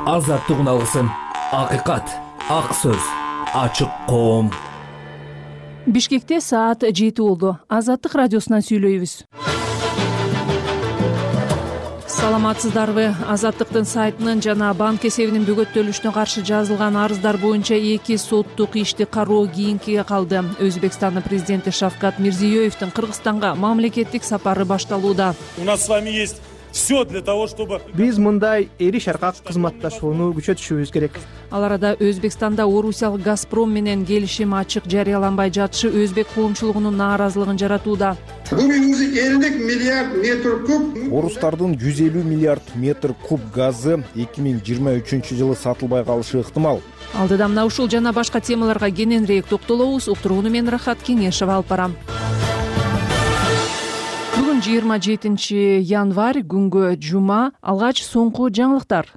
азаттыгын алгысың. Акыйкат, ак сөз, ачык коом. Бишкекте саат 7 болду. Азаттык радиосунан сүйлөйбүз. Саламатсыздарбы? Азаттыктын сайтынын жана банк эсебинин бөгөттөлүшүнө каршы жазылган арыздар боюнча 2 соттук ишти кароо кийинкиге калды. Өзбекстандын президенти Шавкат Мирзиёевдин Кыргызстанга мамлекеттик сапары башталууда. У нас с вами есть все для того, чтобы Биз мындай эриш аркак кызматташууну күчөтүшүбүз керек. Ал арада Өзбекстанда орусиялык Газпром менен келишим ачык жарыяланбай жатышы өзбек коомчулугунун нааразылыгын жаратууда. Бүгүн 50 миллиард метр куб. Орустардын 150 миллиард метр куб газы 2023-жылы сатылбай калышы ыктымал. Алдыда мына ушул жана башка темаларга кененирээк токтолобуз. Уктурууну мен Рахат Кеңешева алып барам. Бүгүн 27 январь, күнгө жума. Алгач соңку жаңылыктар.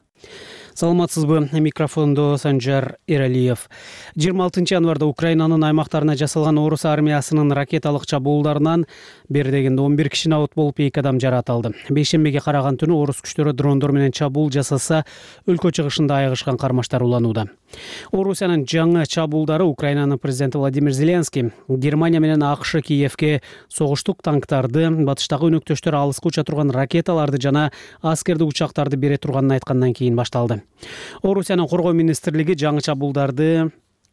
Саламатсызбы? Микрофондо Санжар Эралиев. 26 январда Украинанын аймактарына жасалган орус армиясынын ракеталык чабуулдарынан бери дегенде 11 киши набыт болуп, 2 адам жаратылды. Бейшембиге караган түнү орус күчтөрү дрондор менен чабуул жасаса, өлкө чыгышында айыгышкан кармаштар уланууда. Орусиянын жаңы чабуулдары Украинанын президенти Владимир Зеленский Германия менен АКШ Киевке согуштук танктарды, батыштагы өнөктөштөр алыска уча турган ракеталарды жана аскердик учактарды бере турганын айткандан кийин башталды. Орусиянын коргоо министрлиги жаңы чабуулдарды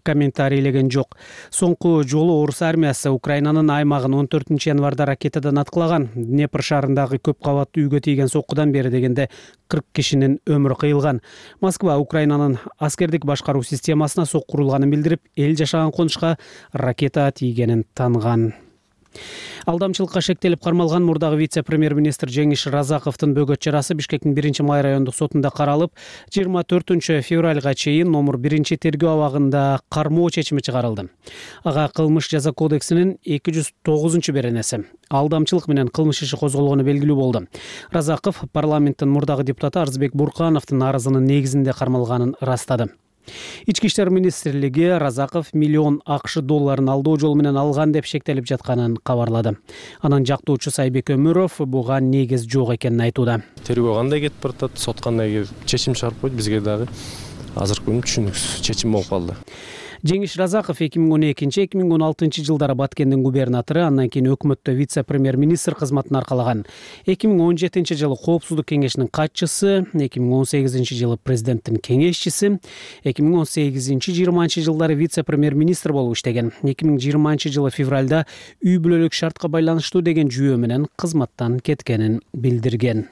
комментарийлеген жок. Соңку жолу орус армиясы Украинанын аймагын 14 январда ракетадан аткылаган. Днепр шаарындагы көп кабаттуу үйгө тийген соккудан бери дегенде 40 кишинин өмүрү кыйылган. Москва Украинанын аскердик башкаруу системасына сокку курулганын билдирип, эл жашаган конушка ракета тийгенин таанган. Алдамчылыкка шектелип кармалган мурдагы вице-премьер-министр Жеңиш Разаковдун бөгөт чарасы Бишкектин 1-май райондук сотунда каралып, 24 февралга чейин номер 1 тергөө абагында кармоо чечими чыгарылды. Ага кылмыш жаза кодексинин 209 беренеси алдамчылык менен кылмыш иши козголгону белгилүү болду. Разаков парламенттин мурдагы депутаты Арзбек Буркановдун арызынын негизинде кармалганын ырастады. Ички иштер министрлиги Разаков миллион АКШ долларын алдоо жолу менен алган деп шектелип жатканын кабарлады. Анын жактоочусу Айбек Өмүров буга негиз жок экенин айтууда. Тергөө кандай кетип баратат, сот кандай чечим чыгарып койду, бизге дагы азыркы күнү түшүнүксүз чечим болуп калды. Жеңиш Разаков 2012-2016 жылдары Баткендин губернатору, андан кийин өкмөттө вице-премьер-министр кызматын аркалаган. 2017 жылы Коопсуздук кеңешинин катчысы, 2018 жылы президенттин кеңешчиси, 2018-20 жылдары вице-премьер-министр болуп иштеген. 2020 жылы февралда үй бүлөлүк шартка байланыштуу деген жүйө менен кызматтан кеткенин билдирген.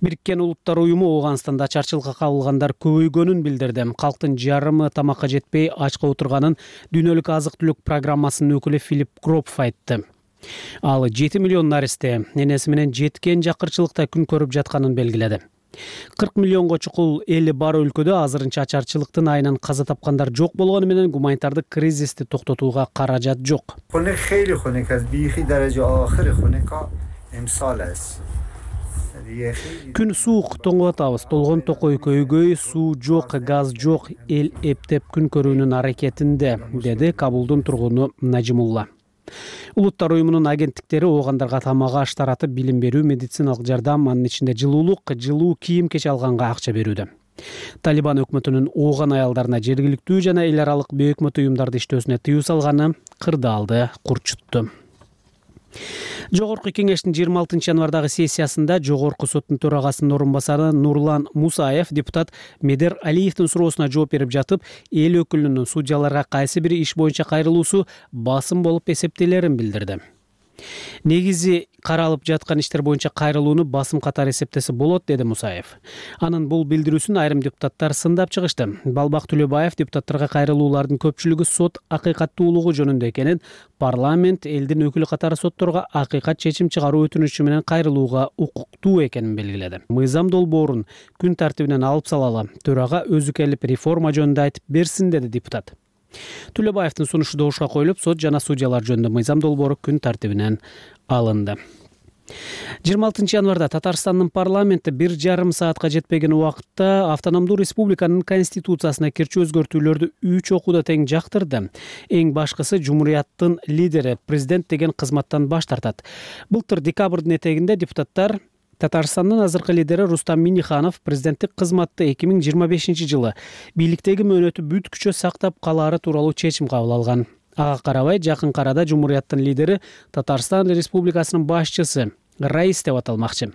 Бириккен Улуттар уюму Ооганстанда ачарчылыкка кабылгандар көбөйгөнүн билдирди. Калктын жарымы тамакка жетпей ачка отурганын дүйнөлүк азык-түлүк программасынын өкүлү Филипп Кроп айтты. Ал 7 миллион наристе энеси менен жеткен жакырчылыкта күн көрүп жатканын белгиледи. 40 миллионго чукул эли бар өлкөдө азырынча ачарчылыктын айынан каза тапкандар жок болгону менен гуманитардык кризисти токтотууга каражат жок. Күн суук, тоңуп атабыз. Толгон токой көйгөй, суу жок, газ жок, эл эптеп күн көрүүнүн аракетинде, деди Кабулдун тургуну Нажимулла. Улуттар уюмунун агенттиктери оогандарга тамак аш таратып, билим берүү, медициналык жардам, анын ичинде жылуулук, жылуу кийим кеч алганга акча берүүдө. Талибан өкмөтүнүн ооган аялдарына жергиликтүү жана эл аралык бейөкмөт уюмдарды иштөөсүнө тыюу салганы кырдаалды курчутту. Жогорку кеңештин 26 январдагы сессиясында Жогорку соттун төрагасынын орун басары Нурлан Мусаев депутат Медер Алиевдин суроосуна жооп берип жатып, эл өкүлүнүн судьяларга кайсы бир иш боюнча кайрылуусу басым болуп эсептелерин билдирди. Негизи каралып жаткан иштер боюнча кайрылууну басым катары эсептесе болот, деди Мусаев. Анын бул билдирүүсүн айрым депутаттар сындап чыгышты. Балбак Төлөбаев депутаттарга кайрылуулардын көпчүлүгү сот акыйкаттуулугу жөнүндө экенин, парламент элдин өкүлү катары сотторго акыйкат чечим чыгаруу өтүнүчү менен кайрылууга укуктуу экенин белгиледи. Мыйзам долбоорун күн тартибинен алып салалы, төрага өзү келип реформа жөнүндө айтып берсин, деди депутат. Төлөбаевдин сунушу добушка коюлуп, сот жана судьялар жөнүндө мыйзам долбоору күн тартибинен алынды. 26 январда Татарстандын парламенти 1,5 саатка жетпеген убакытта автономдуу республиканын конституциясына кирчи өзгөртүүлөрдү 3 окууда тең жактырды. Эң башкысы Жумурияттын лидери президент деген кызматтан баш тартат. Былтыр декабрдын этегинде депутаттар Татарстандын азыркы лидери Рустам Минниханов президенттик кызматты 2025-жылы бийликтеги мөөнөтү бүткүчө сактап калаары тууралуу чечим кабыл алган. Ага карабай жакынкы арада Жумурияттын лидери Татарстан Республикасынын башчысы Раис деп аталмакчы.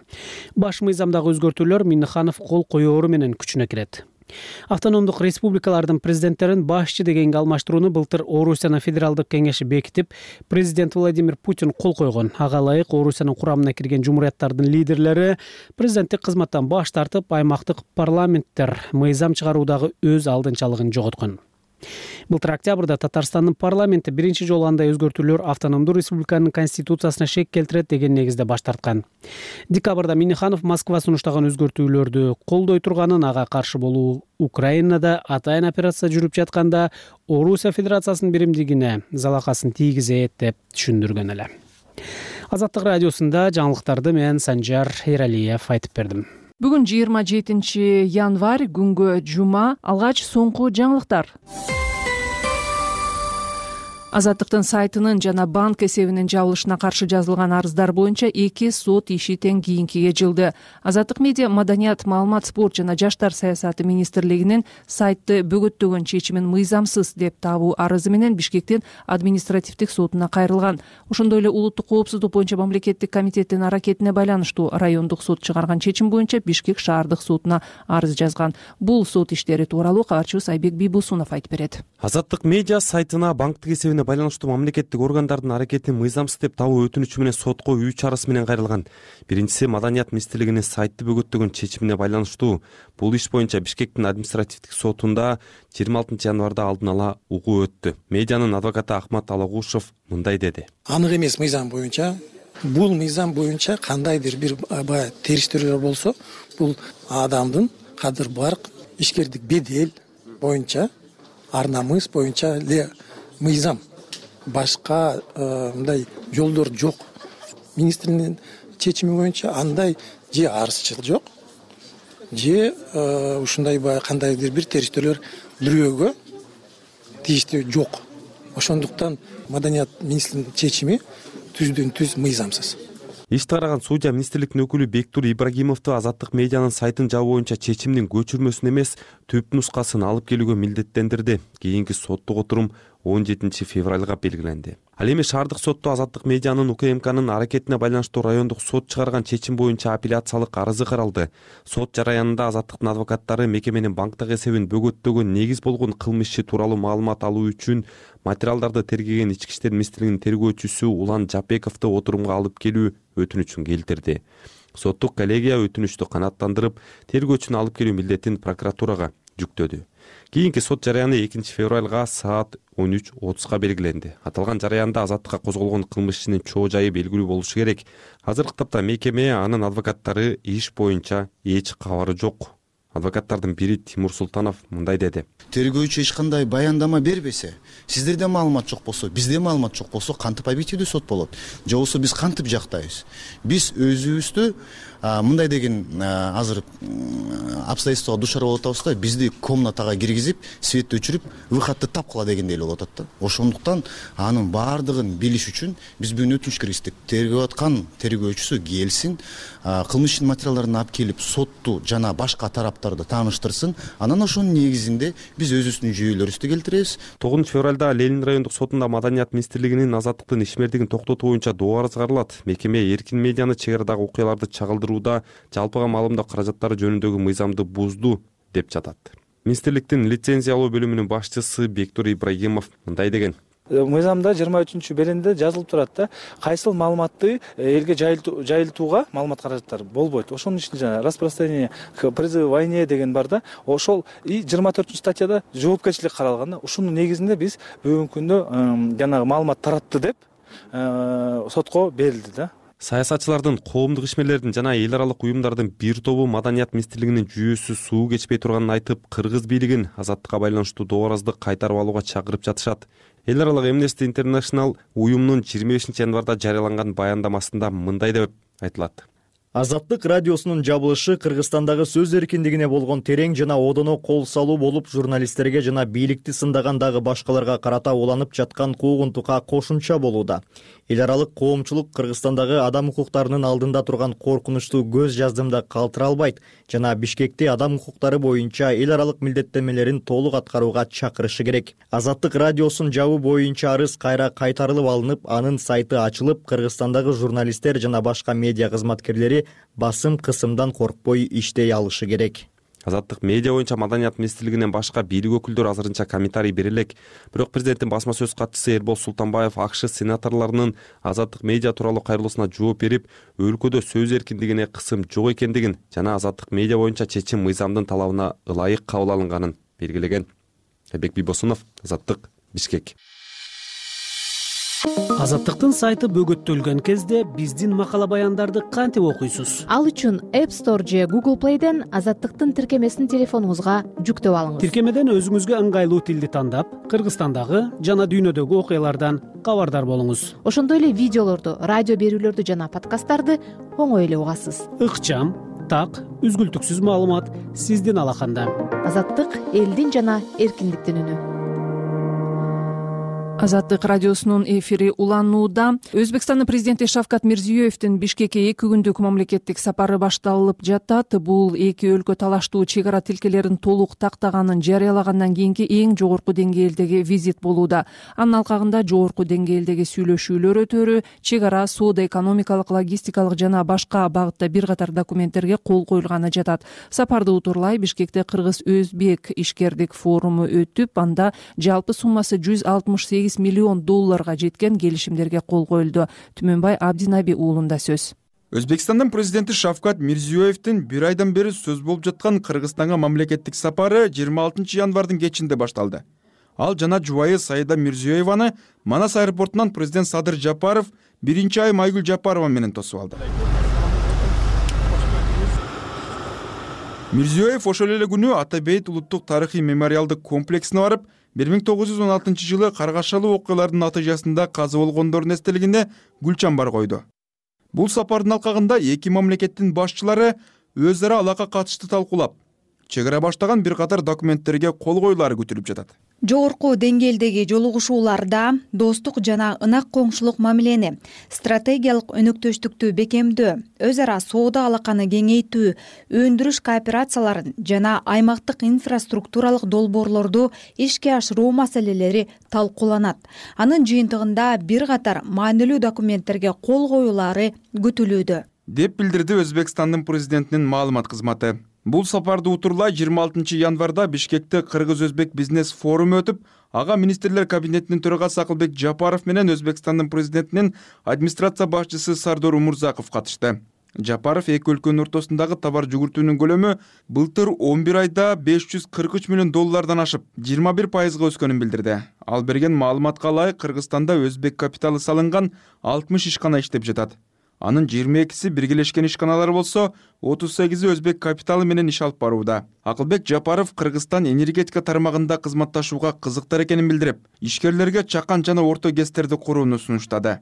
Баш мыйзамдагы өзгөртүүлөр Минниханов кол коёору менен күчүнө кирет. Автономдук республикалардын президенттерин башчы дегенге алмаштырууну былтыр Орусиянын федералдык кеңеши бекитип, президент Владимир Путин кол койгон. Ага ылайык Орусиянын курамына кирген жумурияттардын лидерлери президенттик кызматтан баш тартып, аймактык парламенттер мыйзам чыгаруудагы өз алдынчалыгын жоготкон. Былтыр октябрда Татарстандын парламенти биринчи жолу андай өзгөртүүлөр автономдуу республиканын конституциясына шек келтирет деген негизде баш тарткан. Декабрда Минниханов Москва сунуштаган өзгөртүүлөрдү колдой турганын, ага каршы болуу Украинада атайын операция жүрүп жатканда Орусия Федерациясынын биримдигине залакасын тийгизет деп түшүндүргөн эле. Азаттык радиосунда жаңылыктарды мен Санжар Эралиев айтып бердим. Бүгүн 27 январь күнгө жума. Алгач соңку жаңылыктар. Азаттыктын сайтынын жана банк эсебинин жабылышына каршы жазылган арыздар боюнча 2 сот иши тең кийинкиге жылды. Азаттык медиа маданият, маалымат, спорт жана жаштар саясаты министрлигинин сайтты бөгөттөгөн чечимин мыйзамсыз деп табуу арызы менен Бишкектин административдик сотуна кайрылган. Ошондой эле улуттук коопсуздук боюнча мамлекеттик комитеттин аракетине байланыштуу райондук сот чыгарган чечим боюнча Бишкек шаардык сотуна арыз жазган. Бул сот иштери тууралуу кабарчыбыз Айбек Бийбусунов айтып берет. Азаттык медиа сайтына банктык эсебине байланыштуу мамлекеттик органдардын аракетин мыйзамсыз деп табуу өтүнүчү менен сотко 3 арыз менен кайрылган. Биринчиси маданият министрлигинин сайтты бөгөттөгөн чечимине байланыштуу. Бул иш боюнча Бишкектин административдик сотунда 26 январда алдын ала угуу өттү. Медианын адвокаты Ахмат Алагушев мындай деди. Анык эмес мыйзам боюнча, бул мыйзам боюнча кандайдыр бир териштирүүлөр болсо, бул адамдын кадыр барк, ишкердик бедел боюнча, ар намыс боюнча эле мыйзам. Башка мындай жолдор жок. Министрдин чечими боюнча андай же арызчыл жок, же ушундай кандайдыр бир териштирүүлөр бирөөгө тийиштүү жок. Ошондуктан маданият министрдин чечими түздөн түз мыйзамсыз. Ишти караган судья министрликтин өкүлү Бектур Ибрагимовду азаттык медианын сайтын жабуу боюнча чечимдин көчүрмөсүн эмес, түп нускасын алып келүүгө милдеттендирди. Кийинки соттук отурум 17 февралга белгиленди. Ал эми шаардык сотто азаттык медианын УКМКнын аракетине байланыштуу райондук сот чыгарган чечим боюнча апелляциялык арызы каралды. Сот жараянында азаттыктын адвокаттары мекеменин банктык эсебин бөгөттөгөн негиз болгон кылмыш иши тууралуу маалымат алуу үчүн материалдарды тергеген Ички иштер министрлигинин тергөөчүсү Улан Жапековду отурумга алып келүү өтүнүчүн келтирди. Соттук коллегия өтүнүчтү канааттандырып, тергөөчүнү алып келүү милдетин прокуратурага жүктөдү. Кийинки сот жараяны 2 февралга саат 13:30 белгиленди. Аталган жараянда азаттыкка козголгон кылмыш ишинин чоо жайы белгилүү болушу керек. Азыркы тапта мекеме, анын адвокаттары иш боюнча эч кабары жок. Адвокаттардын бири Тимур Султанов мындай деди. Тергөөчү эч кандай баяндама бербесе, сиздерде маалымат жок болсо, бизде маалымат жок болсо, кантип объективдүү сот болот? Же болбосо биз кантип жактайбыз? Биз өзүбүздү мындай деген азыр обстоятельствого душар болуп атабыз да, бизди комнатага киргизип, светти өчүрүп, выходду тапкыла дегендей эле болуп атат да. Ошондуктан анын баардыгын билиш үчүн биз бүгүн өтүнүч киргиздик. Тергөө аткан тергөөчүсү келсин, кылмыш ишинин материалдарын алып келип, сотту жана башка тараптарды тааныштырсын. Анан ошонун негизинде биз өзүбүздүн жүйөлөрүбүздү келтиребиз. 9 февралда Ленин райондук сотунда маданият министрлигинин азаттыктын ишмердигин токтотуу боюнча доо арыз каралат. Мекеме эркин медианы чек арадагы окуяларды чагылдырууда жалпыга маалымдоо каражаттары жөнүндөгү мыйзамды бузду деп жатат. Министрликтин лицензиялоо бөлүмүнүн башчысы Бектур Ибрагимов мындай деген. Мыйзамда 23 беренде жазылып турат да, кайсыл маалыматты элге жайылтууга маалымат каражаттары болбойт. Ошонун ичинде жана распространение к призыву к войне деген бар да. Ошол 24 статьяда жоопкерчилик каралган да. Ушунун негизинде биз бүгүнкү күндө жанагы маалымат таратты деп сотко берилди да. Саясатчылардын, коомдук ишмерлердин жана эл аралык уюмдардын бир тобу маданият министрлигинин жүйөсү суу кечпей турганын айтып, кыргыз бийлигин азаттыкка байланыштуу доо арызды кайтарып алууга чакырып жатышат. Эл аралык Amnesty International уюмунун 25 январда жарыяланган баяндамасында мындай деп айтылат. Азаттык радиосунун жабылышы Кыргызстандагы сөз эркиндигине болгон терең жана одоно кол салуу болуп, журналисттерге жана бийликти сындаган дагы башкаларга карата уланып жаткан куугунтукка кошумча болууда. Эл аралык коомчулук Кыргызстандагы адам укуктарынын алдында турган коркунучту көз жаздымда калтыра албайт жана Бишкекти адам укуктары боюнча эл аралык милдеттенмелерин толук аткарууга чакырышы керек. Азаттык радиосун жабуу боюнча арыз кайра кайтарылып алынып, анын сайты ачылып, Кыргызстандагы журналисттер жана башка медиа кызматкерлери басым кысымдан коркпой иштей алышы керек. Азаттык медиа боюнча Маданият министрлигинен башка бийлик өкүлдөрү азырынча комментарий бере элек. Бирок президенттин басма сөз катчысы Эрбол Султанбаев АКШ сенаторлорунун Азаттык медиа тууралуу кайрылуусуна жооп берип, өлкөдө сөз эркиндигине кысым жок экендигин жана Азаттык медиа боюнча чечим мыйзамдын талабына ылайык кабыл алынганын белгилеген. Айбек Бийбосунов, Азаттык, Бишкек. Азаттыктын сайты бөгөттөлгөн кезде биздин макала баяндарды кантип окуйсуз? Ал үчүн App Store же Google Play'ден Азаттыктын тиркемесин телефонуңузга жүктөп алыңыз. Тиркемеден өзүңүзгө ыңгайлуу тилди тандап, Кыргызстандагы жана дүйнөдөгү окуялардан кабардар болуңуз. Ошондой эле видеолорду, радио берүүлөрдү жана подкасттарды оңой эле угасыз. Ыкчам, так, үзгүлтүксүз маалымат сиздин алаканда. Азаттык элдин жана эркиндиктин үнү. Азаттык радиосунун эфири уланууда. Өзбекстандын президенти Шавкат Мирзиёевдин Бишкекке 2 күндүк мамлекеттик сапары башталып жатат. Бул эки өлкө талаштуу чек ара тилкелерин толук тактаганын жарыялагандан кийинки эң жогорку деңгээлдеги визит болууда. Анын алкагында жогорку деңгээлдеги сүйлөшүүлөр өтөрү, чек ара, соода, экономикалык, логистикалык жана башка багытта бир катар документтерге кол коюлганы жатат. Сапарды утурлай Бишкекте Кыргыз-Өзбек ишкердик форуму өтүп, анда жалпы суммасы $168 миллион жеткен келишимдерге кол коюлду. Түмөнбай Абдинаби уулунда сөз. Өзбекстандын президенти Шавкат Мирзиёевдин бир айдан бери сөз болуп жаткан Кыргызстанга мамлекеттик сапары 26 январдын кечинде башталды. Ал жана жубайы Саида Мирзиёеваны Манас аэропортунан президент Садыр Жапаров, биринчи айым Айгүл Жапарова менен тосуп алды. Мирзиёев ошол эле күнү Ата-Бейит улуттук тарыхый мемориалдык комплексине барып, 1916 жылы каргашалуу окуялардын натыйжасында каза болгондордун эстелигине гүл чамбар койду. Бул сапардын алкагында эки мамлекеттин башчылары өз ара алака катышты талкуулап, чек ара баштаган бир катар документтерге кол коюлары күтүлүп жатат. Жогорку деңгээлдеги жолугушууларда достук жана ынак коңшулук мамилени, стратегиялык өнөктөштүктү бекемдөө, өз ара соода алаканы кеңейтүү, өндүрүш кооперацияларын жана аймактык инфраструктуралык долбоорлорду ишке ашыруу маселелери талкууланат. Анын жыйынтыгында бир катар маанилүү документтерге кол коюлары күтүлүүдө, деп билдирди Өзбекстандын президентинин маалымат кызматы. Бул сапарды утурлай 26 январда Бишкекте Кыргыз-Өзбек бизнес форуму өтүп, ага министрлер кабинетинин төрагасы Акылбек Жапаров менен Өзбекстандын президентинин администрация башчысы Сардор Умурзаков катышты. Жапаров эки өлкөнүн ортосундагы товар жүгүртүүнүн көлөмү былтыр 11 айда $543 миллион ашып, 21% өскөнүн билдирди. Ал берген маалыматка ылайык Кыргызстанда өзбек капиталы салынган 60 ишкана иштеп жатат. Анын 22-си биргелешкен ишканалар болсо, 38-и өзбек капиталы менен иш алып барууда. Акылбек Жапаров Кыргызстан энергетика тармагында кызматташууга кызыктар экенин билдирип, ишкерлерге чакан жана орто ГЭСтерди курууну сунуштады.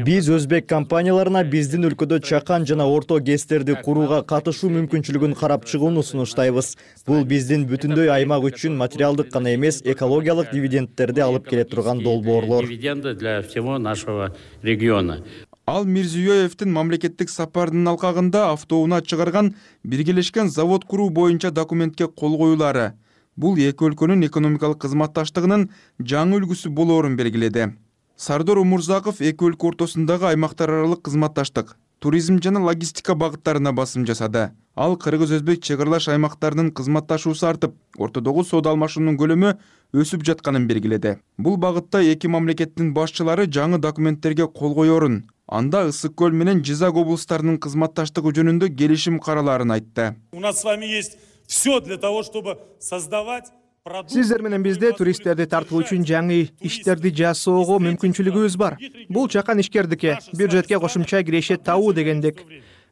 Биз өзбек компанияларына биздин өлкөдө чакан жана орто ГЭСтерди курууга катышуу мүмкүнчүлүгүн карап чыгууну сунуштайбыз. Бул биздин бүтүндөй аймак үчүн материалдык гана эмес, экологиялык дивидендтерди алып келе турган долбоорлор. Ал Мирзиёевдин мамлекеттик сапарынын алкагында автоунаа чыгарган биргелешкен завод куруу боюнча документке кол коюлары. Бул эки өлкөнүн экономикалык кызматташтыгынын жаңы үлгүсү болоорун белгиледи. Сардор Умурзаков эки өлкө ортосундагы аймактар аралык кызматташтык, туризм жана логистика багыттарына басым жасады. Ал Кыргыз-Өзбек чек аралаш аймактарынын кызматташуусу артып, ортодогу соода алмашуунун көлөмү өсүп жатканын белгиледи. Бул багытта эки мамлекеттин башчылары жаңы документтерге кол коёрун, анда Ысык көл менен Жизак облустарынын кызматташтыгы жөнүндө келишим каралаарын айтты. У нас с вами есть все для того, чтобы создавать. Сиздер менен бизде туристтерди тартуу үчүн жаңы иштерди жасоого мүмкүнчүлүгүбүз бар. Бул чакан ишкердикке, бюджетке кошумча кирешет табуу дегендик.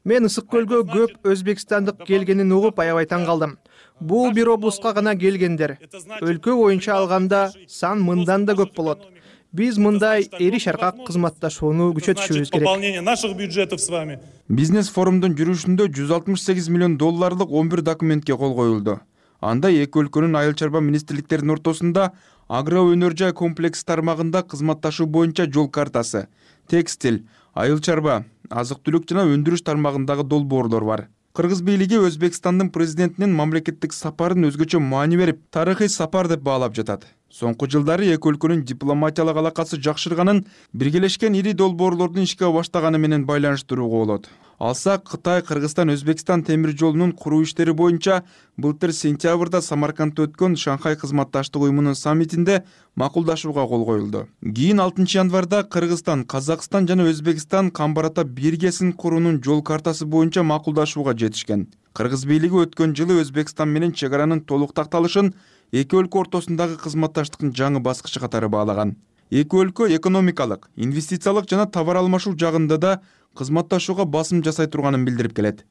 Мен Ысык көлгө көп өзбекстандык келгенин угуп аябай таң калдым. Бул бир облустка гана келгендер. Өлкө боюнча алганда сан мындан да көп болот. биз мындай эри шаркак кызматташууну күчөтүшүбүз керек. Пополнение наших бюджетов с вами. Бизнес форумдун жүрүшүндө 168 миллион долларлык 11 документке кол коюлду. Анда эки өлкөнүн айыл чарба министрликтеринин ортосунда агро өнөр жай комплекс тармагында кызматташуу боюнча жол картасы, текстиль, айыл чарба, азык түлүк жана өндүрүш тармагындагы долбоорлор бар. Кыргыз бийлиги Өзбекстандын президентинин мамлекеттик сапарын өзгөчө маани берип, тарыхый сапар деп баалап жатат. Соңку жылдары эки өлкөнүн дипломатиялык алакасы жакшырганын биргелешкен ири долбоорлордун ишке баштаганы менен байланыштырууга болот. Алсак, Кытай, Кыргызстан, Өзбекстан темир жолунун куруу иштери боюнча былтыр сентябрда Самаркандда өткөн Шанхай кызматташтык уюмунун саммитинде макулдашууга кол коюлду. Кийин 6 январда Кыргызстан, Казакстан жана Өзбекстан Камбарата биргесин куруунун жол картасы боюнча макулдашууга жетишкен. Кыргыз бийлиги өткөн жылы Өзбекстан менен чек аранын толук такталышын эки өлкө ортосундагы кызматташтыктын жаңы баскычы катары баалаган. Эки өлкө экономикалык, инвестициялык жана товар алмашуу жагында да кызматташууга басым жасай турганын билдирип келет.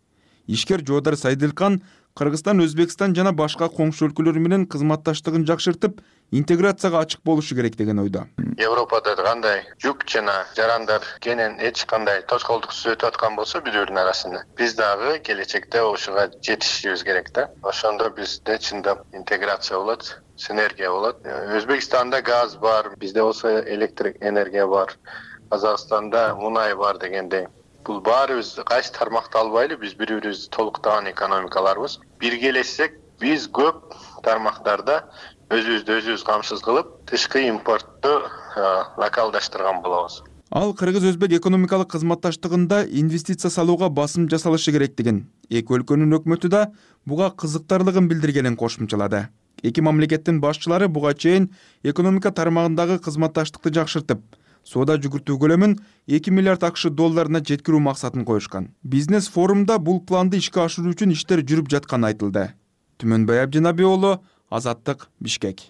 Ишкер Жоодар Сайдылкан Кыргызстан, Өзбекстан жана башка коңшу өлкөлөр менен кызматташтыгын жакшыртып, интеграцияга ачык болушу керек деген ойдо. Европада кандай жүк жана жарандар кенен эч кандай тоскоолдуксуз өтүп аткан болсо бирөөрүнүн арасында, биз дагы келечекте ошого жетишибиз керек да. Ошондо бизде чындап интеграция болот, синергия болот. Өзбекстанда газ бар, бизде болсо электр энергия бар. Казакстанда мунай бар дегендей. Бул баарыбыз кайсы тармакты албайлы, биз бири-бирибизди толуктаган экономикаларбыз. Биргелешсек, биз көп тармактарда өзүбүз камсыз кылып, тышкы импортту локалдаштырган болобуз. Ал кыргыз-өзбек экономикалык кызматташтыгында инвестиция салууга басым жасалышы керектигин, эки өлкөнүн өкмөтү да буга кызыктарлыгын билдиргенин кошумчалады. Эки мамлекеттин башчылары буга чейин экономика тармагындагы кызматташтыкты жакшыртып, соода жүгүртүү көлөмүн 2 миллиард АКШ долларына жеткирүү максатын коюшкан. Бизнес форумда бул планды ишке ашыруу үчүн иштер жүрүп жатканы айтылды. Түмөнбай Абдинабий уулу, Азаттык, Бишкек.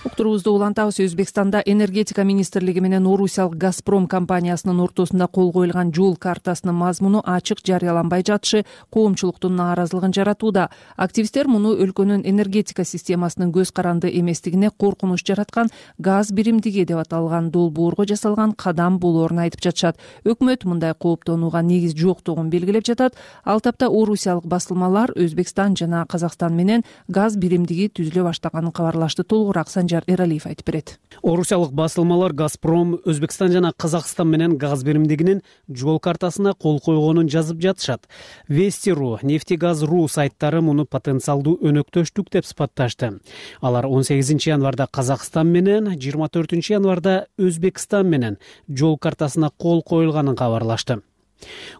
Уктурубузду улантабыз. Өзбекстанда энергетика министрлиги менен Орусиялык Газпром компаниясынын ортосунда кол коюлган жол картасынын мазмуну ачык жарыяланбай жатышы коомчулуктун нааразылыгын жаратууда. Активисттер муну өлкөнүн энергетика системасынын көз каранды эместигине коркунуч жараткан газ биримдиги деп аталган долбоорго жасалган кадам болоорун айтып жатышат. Өкмөт мындай кооптонууга негиз жоктугун белгилеп жатат. Ал тапта орусиялык басылмалар Өзбекстан жана Казакстан менен газ биримдиги түзүлө баштаганын кабарлашты. Толугураак Санжар Эралиев айтып берет. Орусиялык басылмалар Газпром, Өзбекстан жана Казакстан менен газ биримдигинин жол картасына кол койгонун жазып жатышат. Вести.ру, Нефтегаз.ру сайттары муну потенциалдуу өнөктөштүк деп сыпатташты. Алар 18 январда Казакстан менен, 24 январда Өзбекстан менен жол картасына кол коюлганын кабарлашты.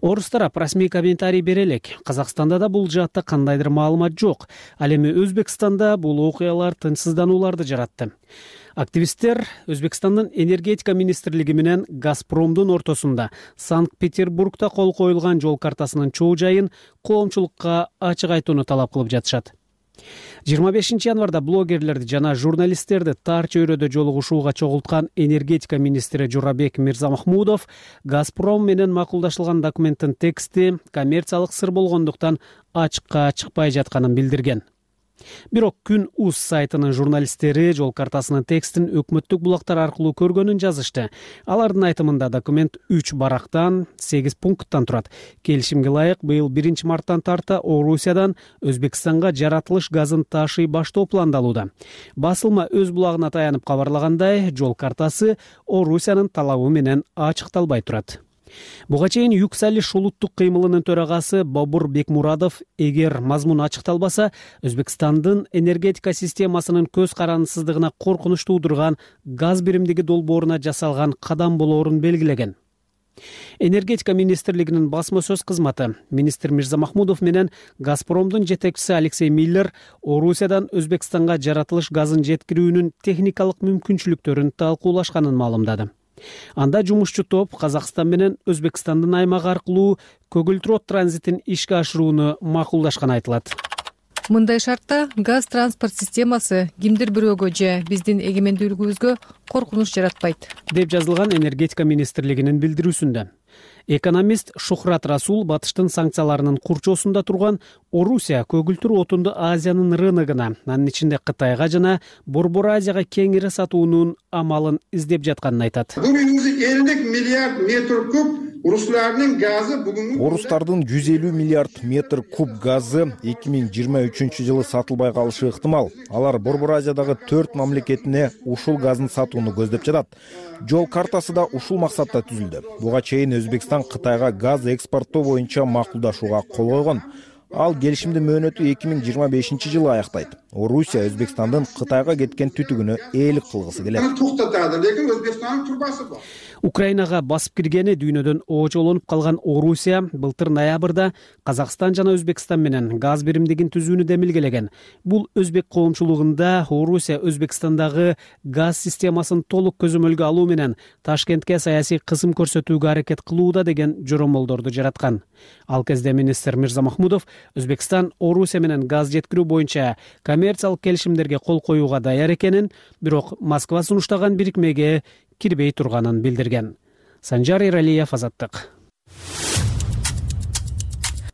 Орус тарап расмий комментарий бере элек. Казакстанда да бул жаатта кандайдыр маалымат жок. Ал эми Өзбекстанда бул окуялар тынчсызданууларды жаратты. Активисттер Өзбекстандын энергетика министрлиги менен Газпромдун ортосунда Санкт-Петербургда кол коюлган жол картасынын чоо жайын коомчулукка ачык айтууну талап кылып жатышат. 25 январда блогерлерди жана журналисттерди тар чөйрөдө жолугушууга чогулткан энергетика министри Журабек Мирзамахмудов Газпром менен макулдашылган документтин тексти коммерциялык сыр болгондуктан ачыкка чыкпай жатканын билдирген. Бирок Күн УЗ сайтынын журналисттери жол картасынын текстин өкмөттүк булактар аркылуу көргөнүн жазышты. Алардын айтымында документ 3 барактан, 8 пункттан турат. Келишимге ылайык быйыл 1 марттан тарта Орусиядан Өзбекстанга жаратылыш газын ташый баштоо пландалууда. Басылма өз булагына таянып кабарлагандай, жол картасы Орусиянын талабы менен ачыкталбай турат. Буга чейин Юксалиш улуттук кыймылынын төрагасы Бобур Бекмурадов эгер мазмун ачыкталбаса, Өзбекстандын энергетика системасынын көз карандысыздыгына коркунуч туудурган газ биримдиги долбооруна жасалган кадам болоорун белгилеген. Энергетика министрлигинин басма сөз кызматы министр Мирзамахмудов менен Газпромдун жетекчиси Алексей Миллер Орусиядан Өзбекстанга жаратылыш газын жеткирүүнүн техникалык мүмкүнчүлүктөрүн талкуулашканын маалымдады. Анда жумушчу топ Казакстан менен Өзбекстандын аймагы аркылуу көгүлтүрөт транзитин ишке ашырууну макулдашканы айтылат. Мындай шартта газ транспорт системасы кимдир бирөөгө же биздин эгемендүүлүгүбүзгө коркунуч жаратпайт, деп жазылган энергетика министрлигинин билдирүүсүндө. Экономист Шухрат Расул батыштын санкцияларынын курчоосунда турган Орусия көгүлтүр отунду Азиянын рыногуна, анын ичинде Кытайга жана Борбор Азияга кеңири сатуунун амалын издеп жатканын айтат. Бүгүнкү 50 миллиард метр куб Руслардын газы бүгүнкү Орустардын 150 миллиард метр куб газы 2023 жылы сатылбай калышы ыктымал. Алар Борбор Азиядагы 4 мамлекетине ушул газдын сатууну көздөп жатат. Жол картасы да ушул максатта түзүлдү. Буга чейин Өзбекстан Кытайга газ экспорттоо боюнча макулдашууга кол койгон. Ал келишимдин мөөнөтү 2025 жылы аяктайт. Орусия Өзбекстандын Кытайга кеткен түтүгүнө ээлик кылгысы келет. Токтотады, лекин Өзбекстандын турбасы бар. Украинага басып киргени дүйнөдөн очолонуп калган Орусия былтыр ноябрда Казакстан жана Өзбекстан менен газ биримдигин түзүүнү демилгелеген. Бул өзбек коомчулугунда Орусия Өзбекстандагы газ системасын толук көзөмөлгө алуу менен Ташкентке саясий кысым көрсөтүүгө аракет кылууда деген жоромолдорду жараткан. Ал кезде министр Мирза Махмудов Өзбекстан Орусия менен газ жеткирүү боюнча коммерциялык келишимдерге кол коюуга даяр экенин, бирок Москва сунуштаган бирикмеге кирбей турганын билдирген. Санжар Эралиев, Азаттык.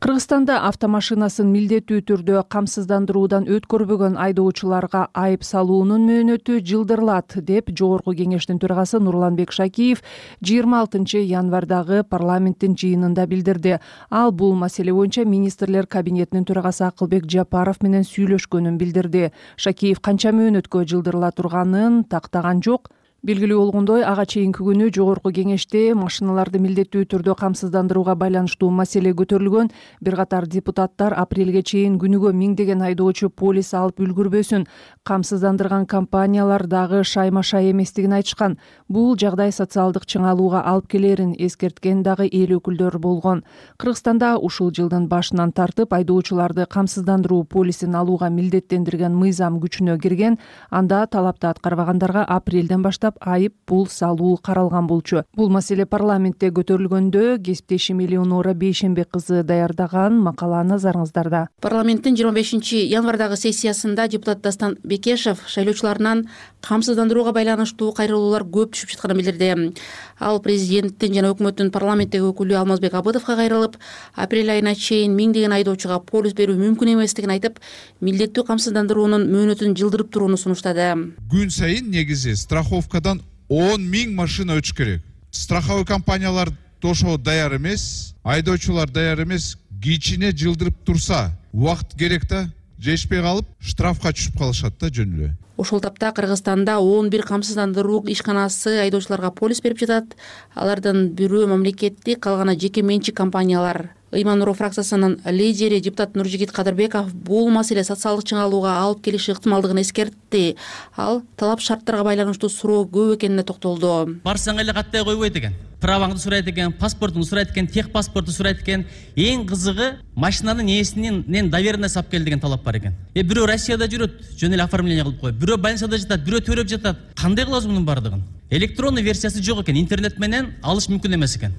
Кыргызстанда автомашинасын милдеттүү түрдө камсыздандыруудан өткөрбөгөн айдоочуларга айып салуунун мөөнөтү жылдырылат деп Жогорку Кеңештин төрагасы Нурланбек Шакиев 26 январдагы парламенттин жыйынында билдирди. Ал бул маселе боюнча министрлер кабинетинин төрагасы Акылбек Жапаров менен сүйлөшкөнүн билдирди. Шакиев канча мөөнөткө жылдырыла турганын тактаган жок. Белгилүү болгондой, ага чейинки күнү Жогорку Кеңеште машиналарды милдеттүү түрдө камсыздандырууга байланыштуу маселе көтөрүлгөн. Бир катар депутаттар апрелге чейин күнүгө миңдеген айдоочу полис алып үлгүрбөсүн. Камсыздандырган компаниялар дагы шайма-шай эместигин айтышкан. Бул жагдай социалдык чыңалууга алып келерин эскерткен дагы эл өкүлдөр болгон. Кыргызстанда ушул жылдын башынан тартып айдоочуларды камсыздандыруу полисин алууга милдеттендирген мыйзам күчүнө кирген. Анда талапты аткарбагандарга апрелден баштап айып пул салуу каралган болчу. Бул маселе парламентте көтөрүлгөндө кесиптешим Элеонора Бейшембек кызы даярдаган макала назарыңыздарда. Парламенттин 25 январдагы сессиясында депутат Дастан Бекешев шайлоочуларынан камсыздандырууга байланыштуу кайрылуулар көп түшүп жатканын билдирди. Ал президенттин жана өкмөттүн парламенттеги өкүлү Алмазбек Абыдовго кайрылып, апрель айына чейин миңдеген айдоочуга полис берүү мүмкүн эместигин айтып, милдеттүү камсыздандыруунун мөөнөтүн жылдырып турууну сунуштады. Күн сайын негизи страховкадан 10 000 машина өтүш керек. Страховой компаниялар ошого даяр эмес, айдоочулар даяр эмес. Кичине жылдырып турса, убакыт керек да, жетишпей калып, штрафка түшүп калышат да жөн эле. Ошол тапта Кыргызстанда 11 камсыздандыруу ишканасы айдоочуларга полис берип жатат. Алардын бирөө мамлекеттик, калганы жеке менчик компаниялар. Ыйман Нуров фракциясынын лидери депутат Нуржигит Кадырбеков бул маселе социалдык чыңалууга алып келиши ыктымалдыгын эскертти. Ал талап шарттарга байланыштуу суроо көп экенине токтолду. Барсаң эле каттай койбойт экен. Праваңды сурайт экен, паспортуңду сурайт экен, тех паспорту сурайт экен. Эң кызыгы машинанын ээсинин доверенность алып кел деген талап бар экен. Бирөө Россияда жүрөт, жөн эле оформление кылып коет. Бирөө больницада жатат, бирөө төрөп жатат. Кандай кылабыз мунун бардыгын? Электронный версиясы жок экен, интернет менен алыш мүмкүн эмес экен.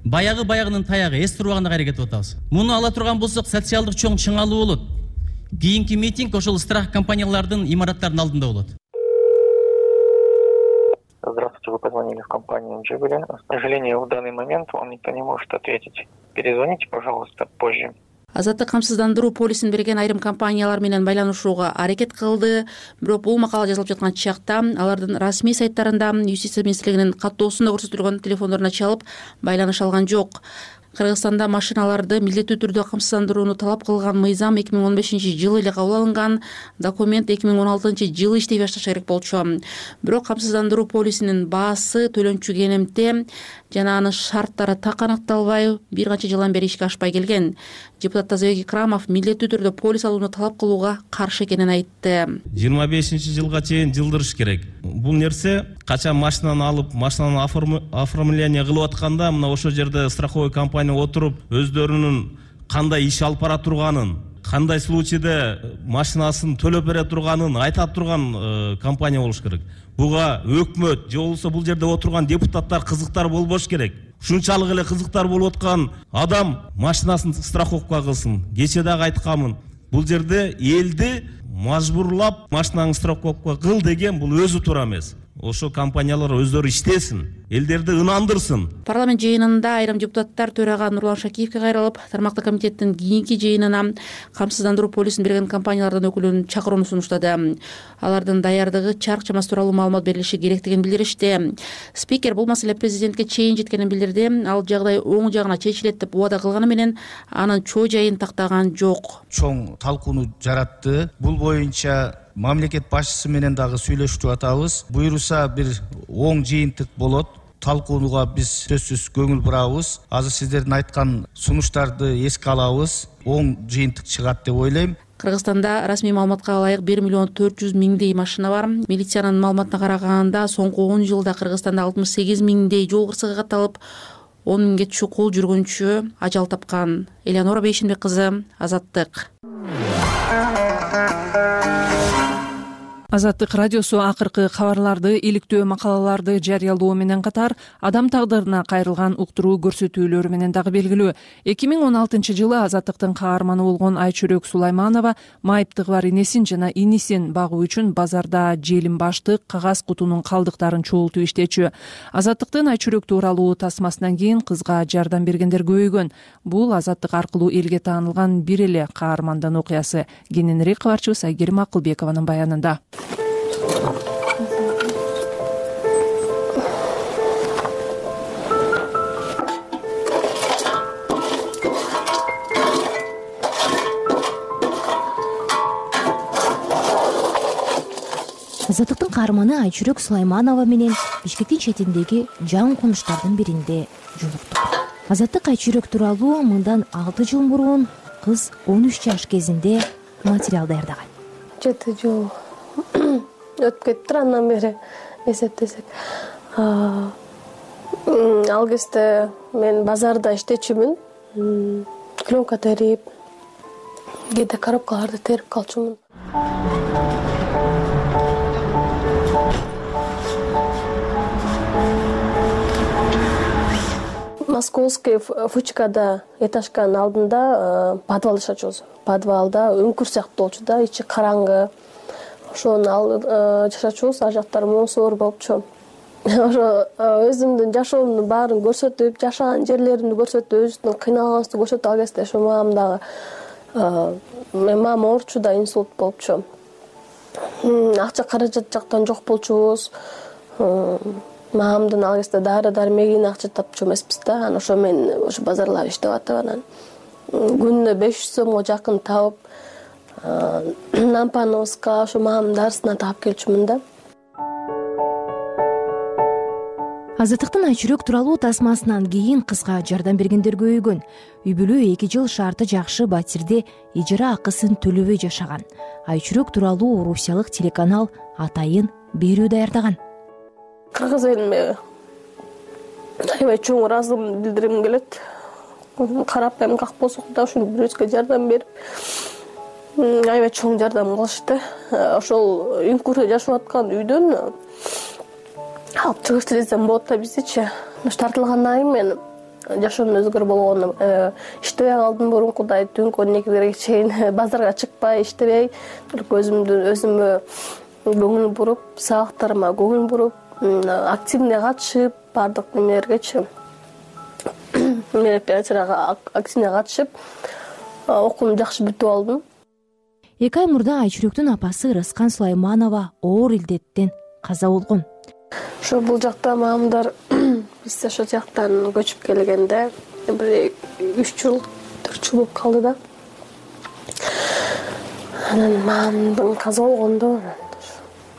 Баягынын таягы эс турбаганга аракет кылып атабыз. Муну ала турган болсок, социалдык чоң чыңалуу болот. Кийинки митинг ошол страх компаниялардын имараттарынын алдында болот. Здравствуйте, вы позвонили в компанию Джигули. К сожалению, в данный момент вам никто не может ответить. Перезвоните, пожалуйста, позже. Азаттык камсыздандыруу полисин берген айрым компаниялар менен байланышууга аракет кылды. Бирок бул макала жазылып жаткан чакта алардын расмий сайттарында Юстиция министрлигинин каттоосунда көрсөтүлгөн телефондоруна чалып байланыша алган жок. Кыргызстанда машиналарды милдеттүү түрдө камсыздандырууну талап кылган мыйзам 2015 жылы эле кабыл алынган. Документ 2016 жылы иштей башташы керек болчу. Бирок камсыздандыруу полисинин баасы, төлөнчү кенемте жана анын шарттары так аныкталбай, бир канча жылдан бери ишке ашпай келген. Депутат Тазабек Икрамов милдеттүү түрдө полис алууну талап кылууга каршы экенин айтты. 25 жылга чейин жылдырыш керек. Бул нерсе качан машинаны алып, машинаны оформление кылып атканда, мына ошол жерде страховой компания отуруп, өздөрүнүн кандай иш алып бара турганын, кандай случайда машинасын төлөп бере турганын айтат турган компания болуш керек. Буга өкмөт же болбосо бул жерде отурган депутаттар кызыктар болбош керек. Ушунчалык эле кызыктар болуп аткан адам машинасын страховка кылсын. Кече дагы айтканмын. Бул жерде элди мажбурлап машинаңды страховка кыл деген бул өзү туура эмес. ошо компаниялар өздөрү иштесин, элдерди ынандырсын. Парламент жыйынында айрым депутаттар төрага Нурлан Шакиевке кайрылып, тармактык комитеттин кийинки жыйынына камсыздандыруу полисин берген компаниялардын өкүлүн чакырууну сунуштады. Алардын даярдыгы чарк чамасы тууралуу маалымат берилиши керектигин билдиришти. Спикер бул маселе президентке чейин жеткенин билдирди. Ал жагдай оң жагына чечилет деп убада кылганы менен анын чоо жайын тактаган жок. Чоң талкууну жаратты. Бул боюнча мамлекет башчысы менен дагы сүйлөшүп атабыз. Буйруса бир оң жыйынтык болот. Талкууга биз сөзсүз көңүл бурабыз. Азыр сиздердин айткан сунуштарды эске алабыз. Оң жыйынтык чыгат деп ойлойм. Кыргызстанда расмий маалыматка ылайык 1 миллион 400 миңдей машина бар. Милициянын маалыматына караганда соңку 10 жылда Кыргызстанда 68 миңдей жол кырсыгы катталып, 10 миңге чукул жүргүнчү ажал тапкан. Элеонора Бейшенбек кызы, Азаттык. Азаттык радиосу акыркы кабарларды, иликтөө макалаларды жарыялоо менен катар адам тагдырына кайрылган уктуруу көрсөтүүлөрү менен дагы белгилүү. 2016 жылы Азаттыктын каарманы болгон Айчүрөк Сулайманова майыптыгы бар энесин жана инисин багуу үчүн базарда желим баштык, кагаз кутунун калдыктарын чогултуп иштечү. Азаттыктын Айчүрөк тууралуу тасмасынан кийин кызга жардам бергендер көбөйгөн. Бул Азаттык аркылуу элге таанылган бир эле каармандын окуясы. Кененирээк кабарчыбыз Айгерим Акылбекованын баянында. Азаттыктын каарманы Айчүрөк Сулайманова менен Бишкектин четиндеги жан конуштардын биринде жолуктук. Азаттык Айчүрөк тууралуу мындан 6 жыл мурун кыз 13 жаш кезинде материал даярдаган. 7 жыл өтүп кетти, андан бери эсептесек. Ал кезде мен базарда иштечүмүн. Клёнка терип, кээде коробкаларды терип калчумун. Московский Фучкада этажканын алдында подвал жашачубуз. Подвалда үңкүр сыяктуу болчу да, ичи караңгы. Ошону жашачубуз, ал жактар моосор болчу. Ошо өзүмдүн жашоомдун баарын көрсөтүп, жашаган жерлеримди көрсөтүп, өзүмдүн кыйналганыбызды көрсөтүп, ал кезде ошо мамам дагы мамам оорчу да, инсульт болчу. Акча каражат жактан жок болчубуз. Мамамдын ал кезде дары-дармегине акча тапчу эмеспиз да. Анан ошо мен ошо базарлап иштеп атып, анан күнүнө 500 сомго жакын табып, Нампановска ошо мамамдын дарысынан таап келчүмүн да. Азаттыктын Айчүрөк тууралуу тасмасынан кийин кызга жардам бергендер көбөйгөн. Үй бүлө 2 жыл шарты жакшы батирде ижара акысын төлөбөй жашаган. Айчүрөк тууралуу орусиялык телеканал атайын берүү даярдаган. Кыргыз элиме аябай чоң ыраазылыгымды билдиргим келет. Карапайым как болсок да ушуну бирөөсүгө жардам берип, аябай чоң жардам кылышты. Ошол үңкүрдө жашап аткан үйдөн алып чыгышты десем болот да биздичи. Тартылгандан кийин мен жашоомдун өзгөрүү болгону иштебей калдым мурункудай түнкү 12-лерге чейин базарга чыкпай иштебей, өзүмө көңүл буруп, сабактарыма көңүл буруп, активный катышып, бардык немелергечи. Мен операцияга активный катышып, окуумду жакшы бүтүп алдым. 2 ай мурда Айчүрөктүн апасы Рыскан Сулайманова оор илдеттен каза болгон. Ошо бул жакта мамамдар биз ошол жактан көчүп келгенде бир 3 жыл 4 жыл болуп калды да. Анан мамамдын каза болгондо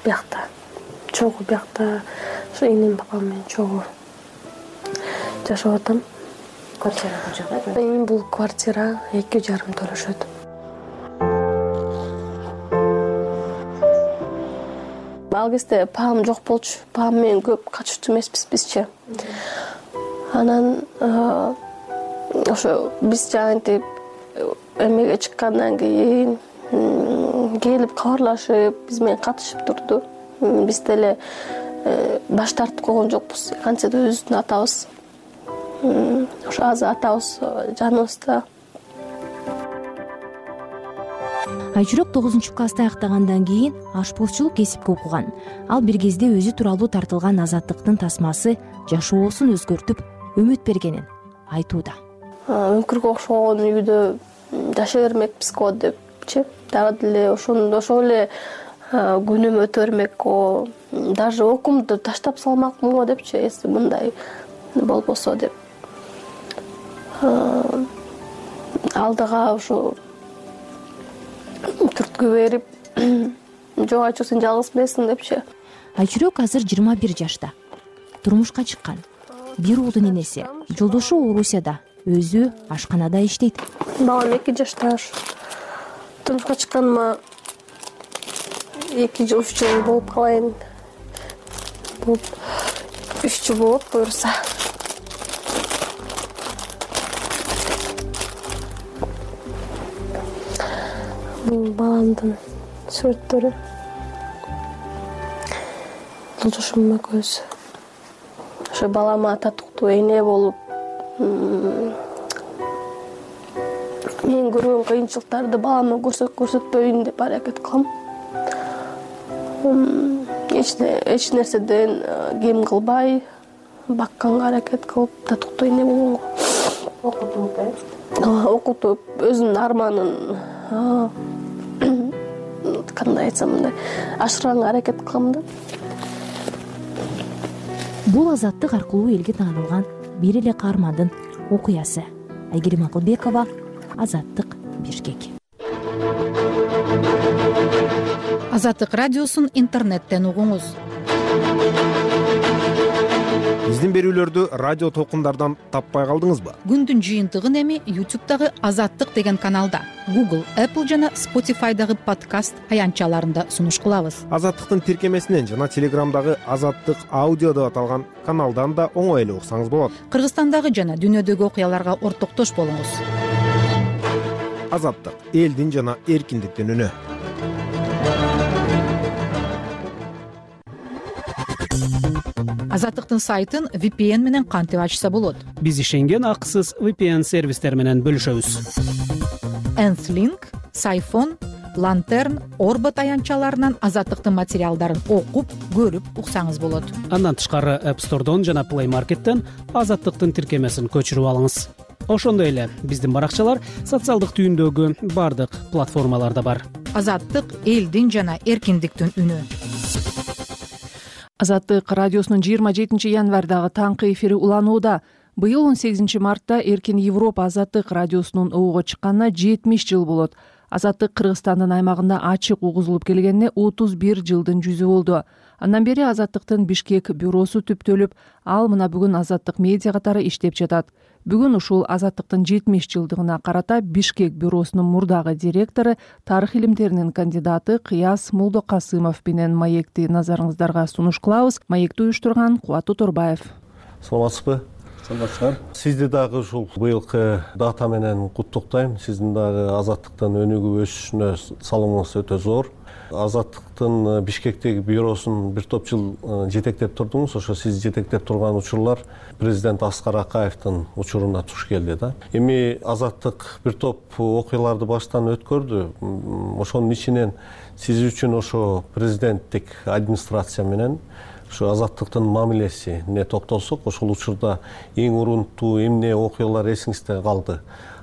биякта чогуу биякта ошо инем папам менен чогуу жашап атам. Квартира бул жакта? Бул квартира 2,5 төлөшөт. Ал кезде папам жок болчу. Папам менен көп каччу эмеспиз бизчи. Анан ошо биз жаантип эмеге чыккандан кийин келип кабарлашып, биз менен катышып турду. Биз деле баш тартып койгон жокпуз. Кантсе да өзүбүздүн атабыз. Ошо азыр атабыз жаныбызда. Айчүрөк 9-класста аяктагандан кийин ашпозчулук кесипке окуган. Ал бир кезде өзү тууралуу тартылган Азаттыктын тасмасы жашоосун өзгөртүп үмүт бергенин айтууда. Өңкүргө окшогон үйдө жашай бермекпизго депчи, дагы деле ошол эле күнүм өтө бермек, даже окуумду таштап салмакмын го депчи, эси мындай болбосо деп. Алдыга ушу түрткү берип, жок Айчүрөк сен жалгыз эмессиң депчи. Айчүрөк азыр 21 жашта. Турмушка чыккан. Бир уулдун энеси. Жолдошу Орусияда, өзү ашканада иштейт. Балам 2 жашта. Турмушка чыкканыма 2 жыл 3 жыл болуп калайын. 3 жыл болот буюрса. Баламдын сүрөттөрү. Жолдошум экөөбүз. Ошо балама татыктуу эне болуп, мен көргөн кыйынчылыктарды балама көрсөтпөйүн деп аракет кылам. Эч нерседен кем кылбай, бакканга аракет кылып, татыктуу эне болгонго. Окутуп, өзүнүн арманын кандай айтсам мындай ашырганга аракет кылам да. Бул Азаттык аркылуу элге таанылган бир эле каармандын окуясы. Айгерим Акылбекова, Азаттык, Бишкек. Азаттык радиосун интернеттен угуңуз. Биздин берүүлөрдү радио толкундардан таппай калдыңызбы? Күндүн жыйынтыгын эми YouTube'дагы Азаттык деген каналда, Google, Apple жана Spotify'дагы подкаст аянтчаларында сунуш кылабыз. Азаттыктын тиркемесинен жана Телеграмдагы Азаттык аудио деп аталган каналдан да оңой эле уксаңыз болот. Кыргызстандагы жана дүйнөдөгү окуяларга ортоктош болуңуз. Азаттык — элдин жана эркиндиктин үнү. Азаттыктын сайтын VPN менен кантип ачса болот? Биз ишенген акысыз VPN сервистер менен бөлүшөбүз. Nth-Link, Сайфон, Lantern, Orbit аянтчаларынан Азаттыктын материалдарын окуп, көрүп уксаңыз болот. Андан тышкары App Store'дон жана Play Market'тен Азаттыктын тиркемесин көчүрүп алыңыз. Ошондой эле биздин баракчалар социалдык түйүндөгү бардык платформаларда бар. Азаттык — элдин жана эркиндиктин үнү. Азаттык радиосунун 27 январдагы таңкы эфири уланууда. Быйыл 18 мартта Эркин Европа Азаттык радиосунун ууга чыкканына 70 жыл болот. Азаттык Кыргызстандын аймагында ачык угузулуп келгенине 31 жылдын жүзү болду. Андан бери Азаттыктын Бишкек бюросу түптөлүп, ал мына бүгүн Азаттык медиа катары иштеп жатат. Бүгүн ушул Азаттыктын 70 жылдыгына карата Бишкек бюросунун мурдагы директору, тарых илимдеринин кандидаты Кыяз Молдокасымов менен маекти назарыңыздарга сунуш кылабыз. Маекти уюштурган Кубат Уторбаев. Саламатсызбы? Саламатсыздар. Сизди дагы ушул быйылкы дата менен куттуктайм. Сиздин дагы Азаттыктын өнүгүп өсүшүнө салымыңыз өтө зор. Азаттыктын Бишкектеги бюросун бир топ жыл жетектеп турдуңуз. Ошо сиз жетектеп турган учурлар президент Аскар Акаевдин учуруна туш келди да. Эми Азаттык бир топ окуяларды баштан өткөрдү. Ошонун ичинен сиз үчүн ошо президенттик администрация менен ушу Азаттыктын мамилесине токтолсок, ошол учурда эң урунтуу эмне окуялар эсиңизде калды?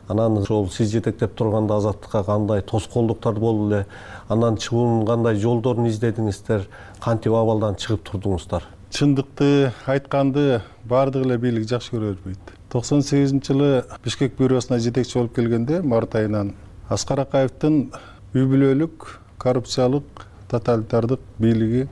Анан ошол сиз жетектеп турганда Азаттыкка кандай тоскоолдуктар болду эле? Анан чыгуунун кандай жолдорун издедиңиздер? Кантип абалдан чыгып турдуңуздар? Чындыкты айтканды баардык эле бийлик жакшы көрө бербейт. 98-жылы Бишкек бюросуна жетекчи болуп келгенде март айынан Аскар Акаевдин үй бүлөлүк, коррупциялык, тоталитардык бийлиги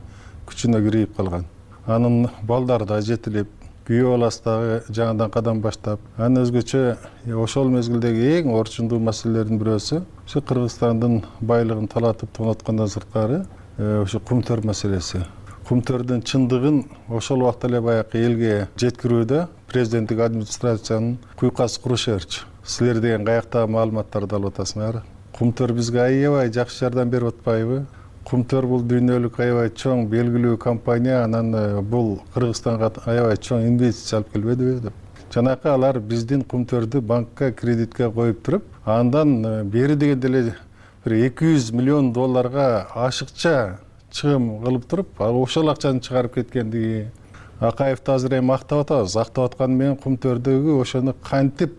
күчүнө кирип калган. Анын балдары да жетилип, күйөө баласы дагы жаңадан кадам баштап, анын өзгөчө ошол мезгилдеги эң орчундуу маселелердин бирөөсү ушу Кыргызстандын байлыгын талатып тоноткондон сырткары ушу кумтөр маселеси. Кумтөрдүн чындыгын ошол убакта эле баягы элге жеткирүүдө президенттик администрациянын куйкасы куруша берчү. Силер деген каяктагы маалыматтарды алып атасыңар? Кумтөр бизге аябай жакшы жардам берип атпайбы? Кумтөр бул дүйнөлүк аябай чоң белгилүү компания, анан бул Кыргызстанга аябай чоң инвестиция алып келбедиби деп. Жанакы алар биздин Кумтөрдү банкка кредитке коюп туруп, андан бери дегенде эле бир 200 миллион долларга ашыкча чыгым кылып туруп, ошол акчаны чыгарып кеткендиги, Акаевди азыр эми актап атабыз. Актап атканы менен Кумтөрдөгү ошону кантип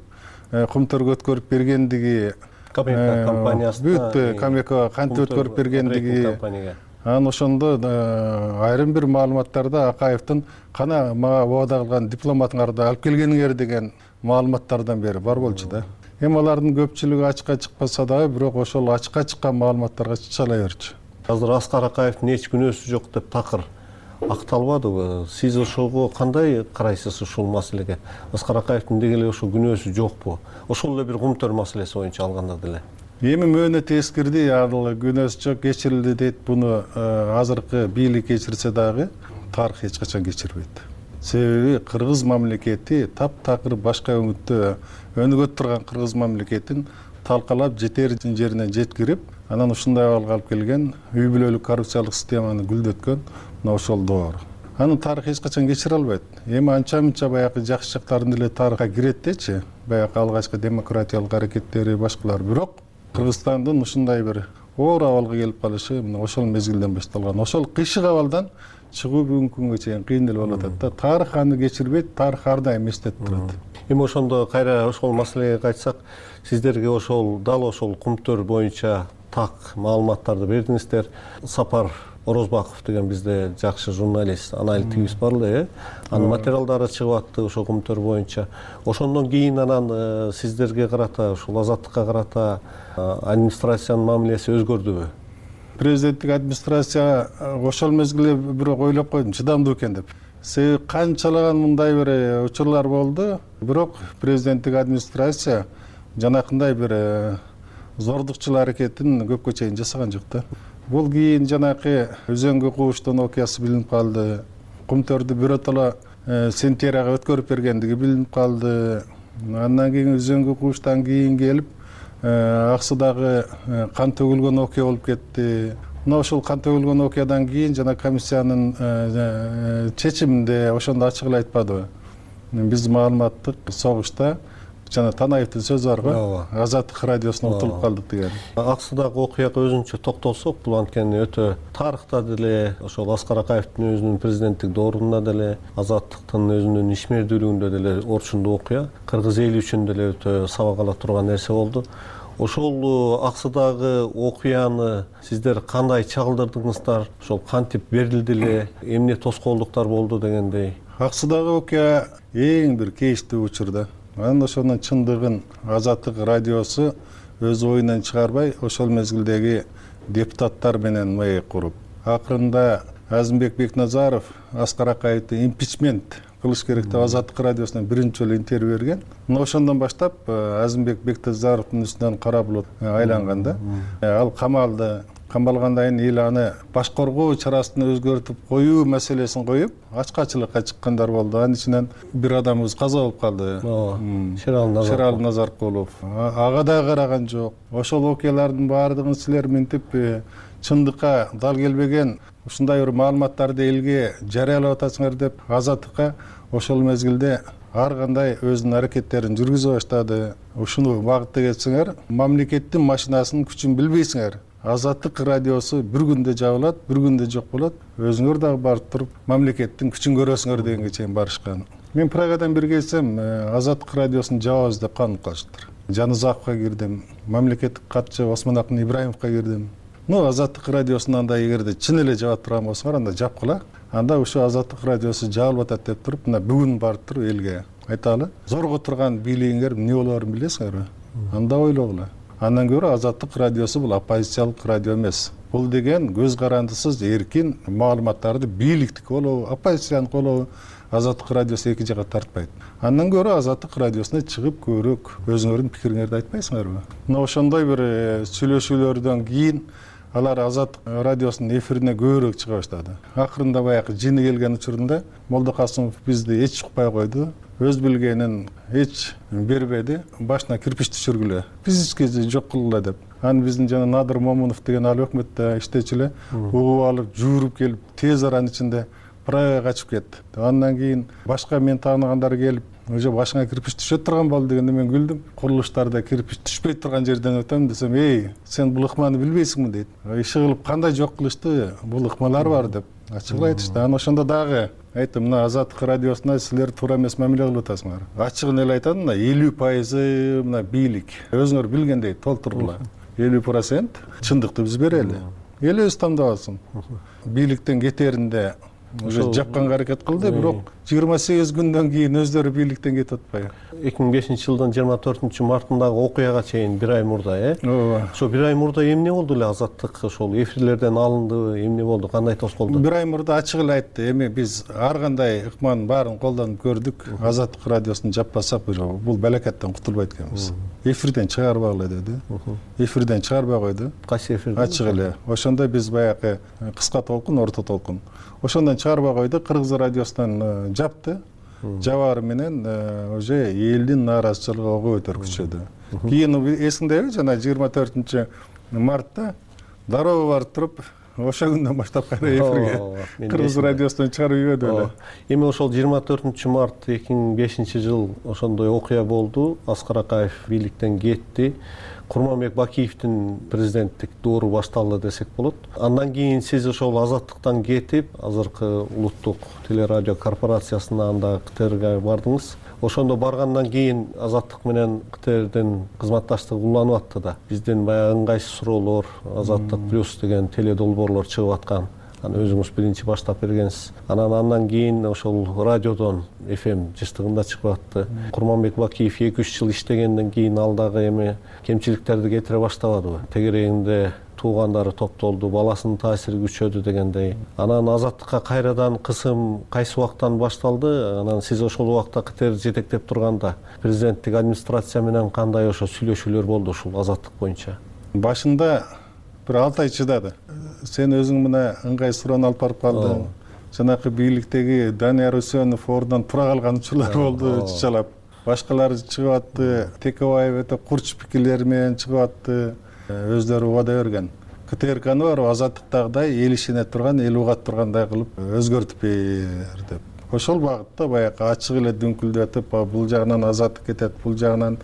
Кумтөргө өткөрүп бергендиги, Камека компаниясына бүт Камекага кантип өткөрүп бергендиги, анан ошондо айрым бир маалыматтарда Акаевдин кана мага убада кылган дипломатыңарды алып келгениңер деген маалыматтардан бери бар болчу да. Эми алардын көпчүлүгү ачыкка чыкпаса дагы, бирок ошол ачыкка чыккан маалыматтарга чычала берчү. Азыр Аскар Акаевдин эч күнөөсү жок деп такыр акталбадыбы? Сиз ошого кандай карайсыз ушул маселеге? Аскар Акаевдин деги эле ошол күнөөсү жокпу? Ошол эле бир Кумтөр маселеси боюнча алганда деле. Эми мөөнөт эскирди, ал күнөөсү жок, кечирилди дейт. Буну азыркы бийлик кечирсе дагы тарых эч качан кечирбейт. Себеби кыргыз мамлекети таптакыр башка өңүттө өнүгөт турган кыргыз мамлекетин талкалап жетер жерине жеткирип, анан ушундай абалга алып келген, үй бүлөлүк коррупциялык системаны гүлдөткөн мына ошол доор. Анын тарыхы эч качан кечире албайт. Эми анча-мынча баягы жакшы жактарын деле тарыхка кирет дечи, баягы алгачкы демократиялык аракеттери, башкалар. Бирок Кыргызстандын ушундай бир оор абалга келип калышы мына ошол мезгилден башталган. Ошол кыйшык абалдан чыгуу бүгүнкү күнгө чейин кыйын деле болуп атат да. Тарых аны кечирбейт, тарых ар дайым эстетип турат. Эми ошондо кайра ошол маселеге кайтсак, сиздерге ошол дал ошол Кумтөр боюнча так маалыматтарды бердиңиздер. Сапар Орозбаков деген бизде жакшы журналист, аналитигибиз бар эле, анын материалдары чыгып атты ошол Кумтөр боюнча. Ошондон кийин анан сиздерге карата, ушул Азаттыкка карата администрациянын мамилеси өзгөрдүбү? Президенттик администрация ошол мезгилде бирок ойлоп койдум, чыдамдуу экен деп. Себеби канчалаган мындай бир учурлар болду, бирок президенттик администрация жанакындай бир зордукчул аракетин көпкө чейин жасаган жок да. Бул кийин жанакы Өзөнгө кууштун окуясы билинип калды. Кумтөрдү биротоло Сентияга өткөрүп бергендиги билинип калды. Андан кийин Өзөнгө кууштан кийин келип Аксудагы кан төгүлгөн окуя болуп кетти. Мына ошол кан төгүлгөн окуядан кийин жана комиссиянын чечиминде ошондо ачык эле айтпадыбы? Биз маалыматтык согушта жана Танаевдин сөзү бар го, Азаттык радиосуна утулуп калдык деген. Аксудагы окуяга өзүнчө токтолсок, бул анткени өтө тарыхта деле, ошол Аскар Акаевдин өзүнүн президенттик доорунда деле, Азаттыктын өзүнүн ишмердүүлүгүндө деле орчундуу окуя, кыргыз эли үчүн деле өтө сабак ала турган нерсе болду. Ошол Аксудагы окуяны сиздер кандай чагылдырдыңыздар? Ошол кантип берилди эле, эмне тоскоолдуктар болду дегендей? Аксудагы окуя эң бир кейиштүү учур да. Анын ошонун чындыгын Азаттык радиосу өз оюнан чыгарбай, ошол мезгилдеги депутаттар менен маек куруп, акырында Азымбек Бекназаров Аскар Акаевди импичмент кылыш керек деп Азаттык радиосуна биринчи жолу интервью берген. Мына ошондон баштап Азымбек Бекназаровдун үстүнөн кара булут айланган да. Ал камалды. Камалгандан кийин эл аны баш коргоо чарасын өзгөртүп коюу маселесин коюп, ачкачылыкка чыккандар болду. Анын ичинен бир адамыбыз каза болуп калды. Шерали Назаркулов. Ага да караган жок. Ошол окуялардын баардыгын силер минтип чындыкка дал келбеген ушундай бир маалыматтарды элге жарыялап атасыңар деп Азаттыкка ошол мезгилде ар кандай өзүнүн аракеттерин жүргүзө баштады. Ушуну багытта кетсеңер, мамлекеттин машинасынын күчүн билбейсиңер. Азаттык радиосу бир күндө жабылат, бир күндө жок болот. Өзүңөр дагы барып туруп мамлекеттин күчүн көрөсүңөр дегенге чейин барышкан. Мен Прагадан бир келсем, Азаттык радиосун жабабыз деп канып калыштыр. Жанызаковго кирдим, мамлекеттик катчы Осмонакын Ибраимовго кирдим. Азаттык радиосун анда эгерде чын эле жаап турган болсоңор, анда жапкыла. Анда ушу Азаттык радиосу жабылып атат деп туруп, мына бүгүн барып туруп элге айталы. Зорго турган бийлигиңер эмне болоорун билесиңерби? Анда ойлогула. Андан көрө Азаттык радиосу бул оппозициялык радио эмес. Бул деген көз карандысыз эркин маалыматтарды бийликтик болобу, оппозициянын болобу, Азаттык радиосу эки жакка тартпайт. Андан көрө Азаттык радиосуна чыгып көрөк өзүңөрдүн пикириңерди айтпайсыңарбы? Мына ошондой бир сүйлөшүүлөрдөн кийин алар Азаттык радиосунун эфирине көбүрөөк чыга баштады. Акырында баягы жини келген учурунда Молдокасымов бизди эч укпай койду. Өз билгенин эч бербеди, башына кирпич түшүргүлө, физически жок кылгыла деп. Аны биздин жана Надыр Момунов деген ал өкмөттө иштечү эле угуп алып, жууруп келип, тез аранын ичинде Прагага качып кетти. Андан кийин башка мен тааныгандар келип, уже башыңа кирпич түшө турган болду дегенде мен күлдүм. Курулуштарда кирпич түшпөй турган жерден өтөм десем, сен бул ыкманы билбейсиңби дейт. Иши кылып кандай жок кылышты, бул ыкмалар бар деп ачыгын айтышты. Анан ошондо дагы айттым, мына Азаттык радиосуна силер туура эмес мамиле кылып атасыңар. Ачыгын эле айтат, мына 50% мына бийлик. Өзүңөр билгендей толтурула. 50% чындыкты биз берели. Эл өзү тандап алсын. Бийликтен кетеринде уже жапканга аракет кылды, бирок 28 күндөн кийин өздөрү бийликтен кетип атпайбы? 2005-жылдын 24-мартындагы окуяга чейин бир ай мурда, ошо бир ай мурда эмне болду эле? Азаттык ошол эфирлерден алынды, эмне болду, кандай тоскоолду? Бир ай мурда ачык эле айтты, эми биз ар кандай ыкманын баарын колдонуп көрдүк, Азаттык радиосун жаппасак бул балакаттан кутулбайт экенбиз. Эфирден чыгарбагыла деди. Эфирден чыгарбай койду. Кайсы эфирден? Ачык эле. Ошондо биз баягы кыска толкун, орто толкун. Ошондон чыгарбай койду, Кыргыз радиосунан жапты. Жабары менен уже элдин нааразычылыгы ого өтөр күчөдү. Кийин эсиңдеби, жана 24-мартта дароо барып туруп, ошо күндөн баштап кайра эфирге Кыргыз радиосунан чыгарып ийбеди эле. Эми ошол 24-март 2005-жыл ошондой окуя болду. Аскар Акаев бийликтен кетти. Курманбек Бакиевдин президенттик доору башталды десек болот. Андан кийин сиз ошол Азаттыктан кетип, азыркы улуттук телерадио корпорациясына, анда КТРге бардыңыз. Ошондо баргандан кийин Азаттык менен КТРдин кызматташтыгы уланып атты да. Бизден баягы ыңгайсыз суроолор, Азаттык плюс деген теледолбоорлор чыгып аткан. Аны өзүңүз биринчи баштап бергенсиз. Андан кийин ошол радиодон FM жыштыгында чыгып атты. Курманбек Бакиев 2-3 жыл иштегенден кийин ал дагы эми кемчиликтерди кетире баштабадыбы? Тегерегинде туугандары топтолду, баласынын таасири күчөдү дегендей. Анан Азаттыкка кайрадан кысым кайсы убактан башталды? Анан сиз ошол убакта КТР жетектеп турганда президенттик администрация менен кандай ошо сүйлөшүүлөр болду ушул Азаттык боюнча? Башында бир 6 ай чыдады. Сен өзүң мына ыңгай суроону алып барып калдың. Жанакы бийликтеги Данияр Үсөнов ордунан тура калган учурлар болду, чычалап. Башкалар чыгып атты, Текебаев өтө курч пикирлери менен чыгып атты. Өздөрү убада берген. КТРКны бар Азаттыктагыдай эл ишине турган, эл угат тургандай кылып өзгөртүп бер деп. Ошол багытта баягы ачык эле дүңкүлдөтүп, бул жагынан Азаттык кетет, бул жагынан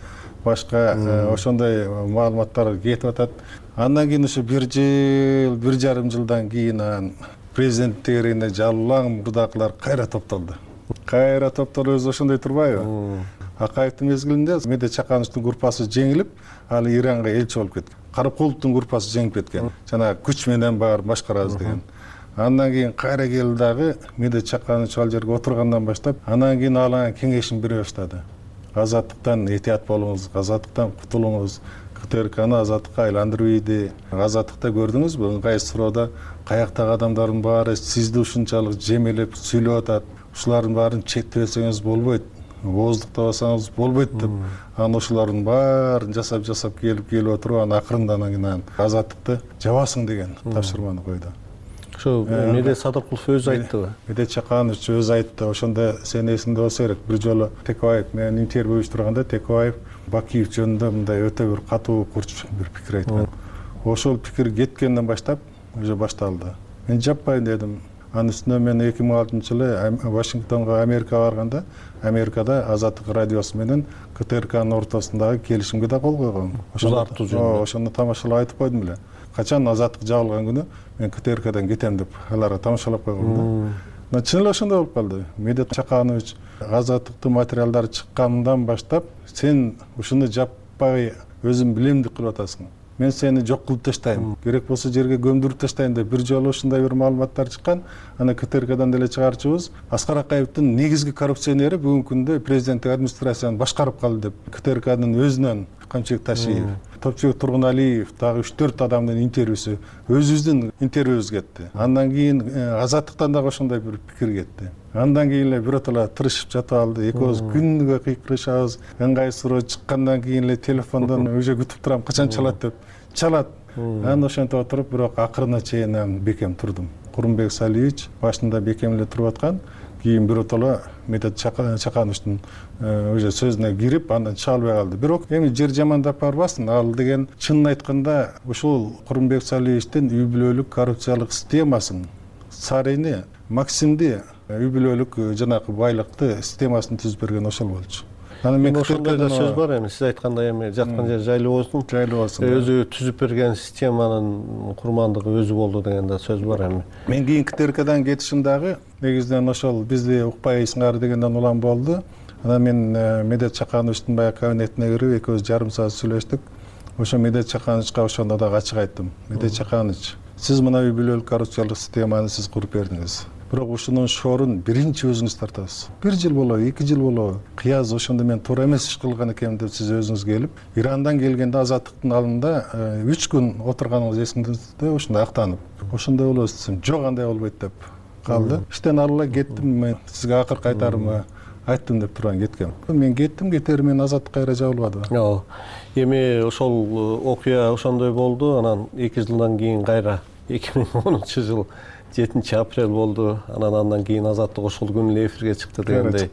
башка ошондой маалыматтар кетип атат. Андан кийин ошо 1 жыл, 1,5 жылдан кийин президент тегерегине жалаң мурдакылар кайра топтолду. Кайра топтолуп өзү ошондой турбайбы? Акаевдин мезгилинде Медет Чакановичтин группасы жеңилип, ал Иранга элчи болуп кеткен. Каракуловдун группасы жеңип кеткен. Жана күч менен бар башкарабыз деген. Андан кийин кайра келди дагы Медет Чаканович ал жерге отургандан баштап, андан кийин ал кеңешин бере баштады. Азаттыктан этият болуңуз, Азаттыктан кутулуңуз, КТРКны Азаттыкка айландырып ийди. Азаттыкта көрдүңүзбү, ыңгайсыз суроода каяктагы адамдардын баары сизди ушунчалык жемелеп сүйлөп атат. Ушулардын баарын чектебесеңиз болбойт, ооздуктабасаңыз болбойт деп. Анан ошолордун баарын жасап келип отуруп, анан акырында анан Азаттыкты жабасың деген тапшырманы койду. Ошо Медет Садыкулов өзү айттыбы? Медет Чаканович өзү айтты. Ошондо сен эсиңде болсо керек. Бир жолу Текебаев менен интервью уюштурганда Текебаев Бакиев жөнүндө мындай өтө бир катуу курч бир пикир айткан. Ошол пикир кеткенден баштап уже башталды. Мен жаппайын дедим. Анын үстүнө мен 2006-жылы Вашингтонго Америкага барганда, Америкада Азаттык радиосу менен КТРКнын ортосундагы келишимге да кол койгом. Ошондо тамашалап айтып койдум эле. Качан Азаттык жабылган күнү мен КТРКдан кетем деп аларга тамашалап койгом да. Чын эле ошондой болуп калды. Медет Чаканович Азаттыктын материалдары чыккандан баштап сен ушуну жаппай өзүң билем деп кылып атасың. Мен сени жок кылып таштайм. Керек болсо жерге көмдүрүп таштайм деп бир жолу ушундай бир маалыматтар чыккан. Аны КТРКдан деле чыгарчыбыз Аскар Акаевдин негизги коррупционери бүгүнкү күндө президенттик администрацияны башкарып калды деп КТРКнын өзүнөн Камчыбек Ташиев, Топчубек Тургуналиев, дагы 3-4 адамдын интервьюсу өзүбүздүн интервьюбуз кетти. Андан кийин Азаттыктан дагы ошондой бир пикир кетти. Андан кийин эле биротола тырышып жатып алды. Экөөбүз күнгө кыйкырышабыз. Ыңгайсыз суроо чыккандан кийин эле телефондон уже күтүп турам, качан чалат деп. Чалат. Анан ошентип отуруп, бирок акырына чейин бекем турдум. Курманбек Салиевич башында бекем эле туруп аткан. Кийин биротола Медет Чакановичтин уже сөзүнө кирип, андан чыга албай калды. Бирок эми жер жамандап барбасын. Ал деген чынын айтканда ушул Курманбек Салиевичтин үй бүлөлүк коррупциялык системасын, Сарыйны, Максимди үй бүлөлүк жанакы байлыкты системасын түзүп берген ошол болчу. Анан мен ошондой да сөз бар эми, сиз айткандай эми жаткан жер жайлуу болсун. Жайлуу болсун. Өзү түзүп берген системанын курмандыгы өзү болду деген да сөз бар эми. Мен кийинки ТРКдан кетишим дагы негизинен ошол бизди укпайсыңар дегенден улам болду. Анан мен Медет Чакановичтин баягы кабинетине кирип экөөбүз жарым саат сүйлөштүк. Ошо Медет Чакановичка ошондо дагы ачык айттым. Медет Чаканович, сиз мына үй бүлөлүк коррупциялык системаны сиз куруп бердиңиз. Бирок ушунун шоорун биринчи өзүңүз тартасыз. 1 жыл болобу, 2 жыл болобу? Кыяз ошондо мен туура эмес иш кылган экенмин деп сиз өзүңүз келип, Ирандан келгенде Азаттыктын алдында 3 күн отурганыңыз эсиңизде, ошондо актанып. Ошондой болобуз десем, жок андай болбойт деп калды. Иштен алыла кеттим, мен сизге акыркы айтарымды айттым деп турган кеткем. Мен кеттим, кетери мен Азаттык кайра жабылбады. Эми ошол окуя ошондой болду. Анан 2 жылдан кийин кайра 2010-жыл 7-апрель болду. Андан кийин Азаттык ошол күнү эле эфирге чыкты дегендей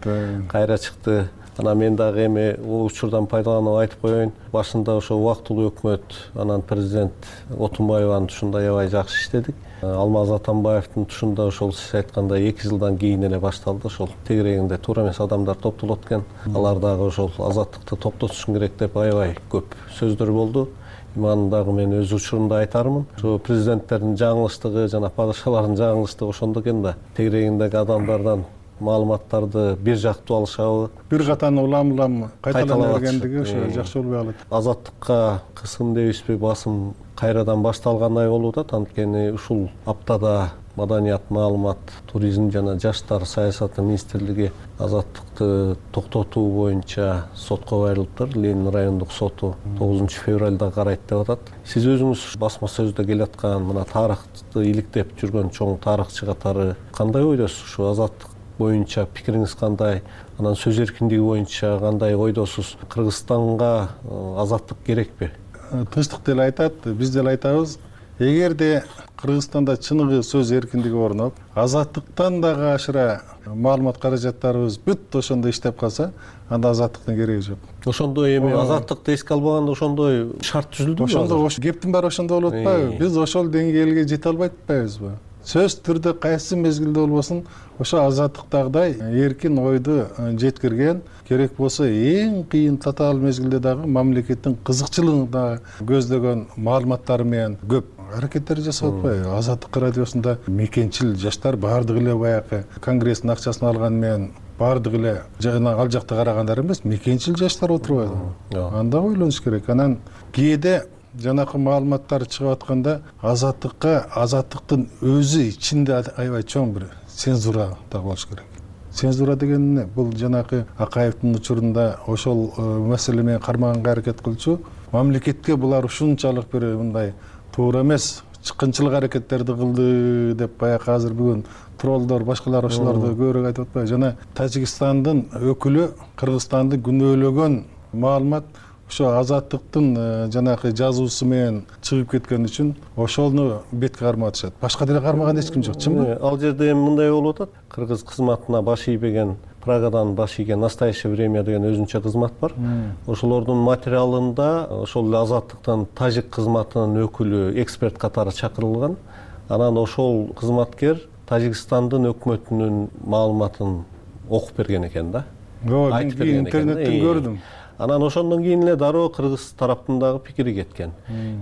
кайра чыкты. Анан мен дагы эми бул учурдан пайдаланып айтып коеюн. Башында ошо убактылуу өкмөт, анан президент Отунбаеванын тушунда аябай жакшы иштедик. Алмаз Атамбаевдин тушунда ошол сиз айткандай 2 жылдан кийин эле башталды. Ошол тегерегинде туура эмес адамдар топтолот экен. Алар дагы ошол Азаттыкты токтотушун керек деп аябай көп сөздөр болду. Анын дагы мен өз учурунда айтармын. Ошо президенттердин жаңылыштыгы жана падышалардын жаңылыштыгы ошондо экен да. Тегерегиндеги адамдардан маалыматтарды бир жактуу алышабы. Бир катаны улам кайталана бергендиги ошо жакшы болбой калат. Азаттыкка кысым дейбизби, басым кайрадан башталгандай болуп атат. Анткени ушул аптада Маданият, маалымат, туризм жана жаштар саясаты министрлиги Азаттыкты токтотуу боюнча сотко кайрылыптыр. Ленин райондук соту 9-февралда карайт деп атат. Сиз өзүңүз басма сөздө келаткан мына тарыхты иликтеп жүргөн чоң тарыхчы катары кандай ойдосуз? Ушу Азаттык боюнча пикириңиз кандай? Анан сөз эркиндиги боюнча кандай ойдосуз? Кыргызстанга азаттык керекпи? Тынчтык деле айтат, биз деле айтабыз. Эгерде Кыргызстанда чыныгы сөз эркиндиги орноп, азаттыктан дагы ашыра маалымат каражаттарыбыз бүт ошондо иштеп калса, анда азаттыктын кереги жок. Ошондо эми азаттыкты эске албаганда ошондой шарт түзүлдүбү? Ошондо кептин баары ошондо болуп атпайбы? Биз ошол деңгээлге жете албай атпайбызбы? Сөз түрдө кайсы мезгилде болбосун ошо азаттыктагыдай эркин ойду жеткирген, керек болсо эң кыйын татаал мезгилде дагы мамлекеттин кызыкчылыгын дагы көздөгөн маалыматтары менен көп аракеттер жасап атпайбы? Азаттык радиосунда мекенчил жаштар баардыгы эле баягы конгресстин акчасын алган менен баардыгы эле жана ал жакта карагандар эмес, мекенчил жаштар отурбайбы? Анда ойлонуш керек. Анан кээде жанакы маалыматтар чыгып атканда азаттыктын өзү ичинде аябай чоң бир цензура дагы болуш керек. Цензура деген эмне? Бул жанакы Акаевдин учурунда ошол маселе менен кармаганга аракет кылчу. Мамлекетке булар ушунчалык бир мындай туура эмес чыккынчылык аракеттерди кылды деп баягы азыр бүгүн троллдор башкалар ошолорду көбүрөөк айтып атпайбы? Жана Тажикстандын өкүлү Кыргызстанды күнөөлөгөн маалымат ошо азаттыктын жанакы жазуусу менен чыгып кеткен үчүн ошону бетке кармап атышат. Башка деле кармаган эч ким жок, чынбы? Ал жерде эми мындай болуп атат. Кыргыз кызматына баш ийбеген, Прагадан баш ийген Настоящее время деген өзүнчө кызмат бар. Ошолордун материалында ошол эле азаттыктын тажик кызматынын өкүлү эксперт катары чакырылган. Анан ошол кызматкер Тажикстандын өкмөтүнүн маалыматын окуп берген экен да. Айтып берген экен. Интернеттен көрдүм. Анан ошондон кийин эле дароо кыргыз тараптын дагы пикири кеткен.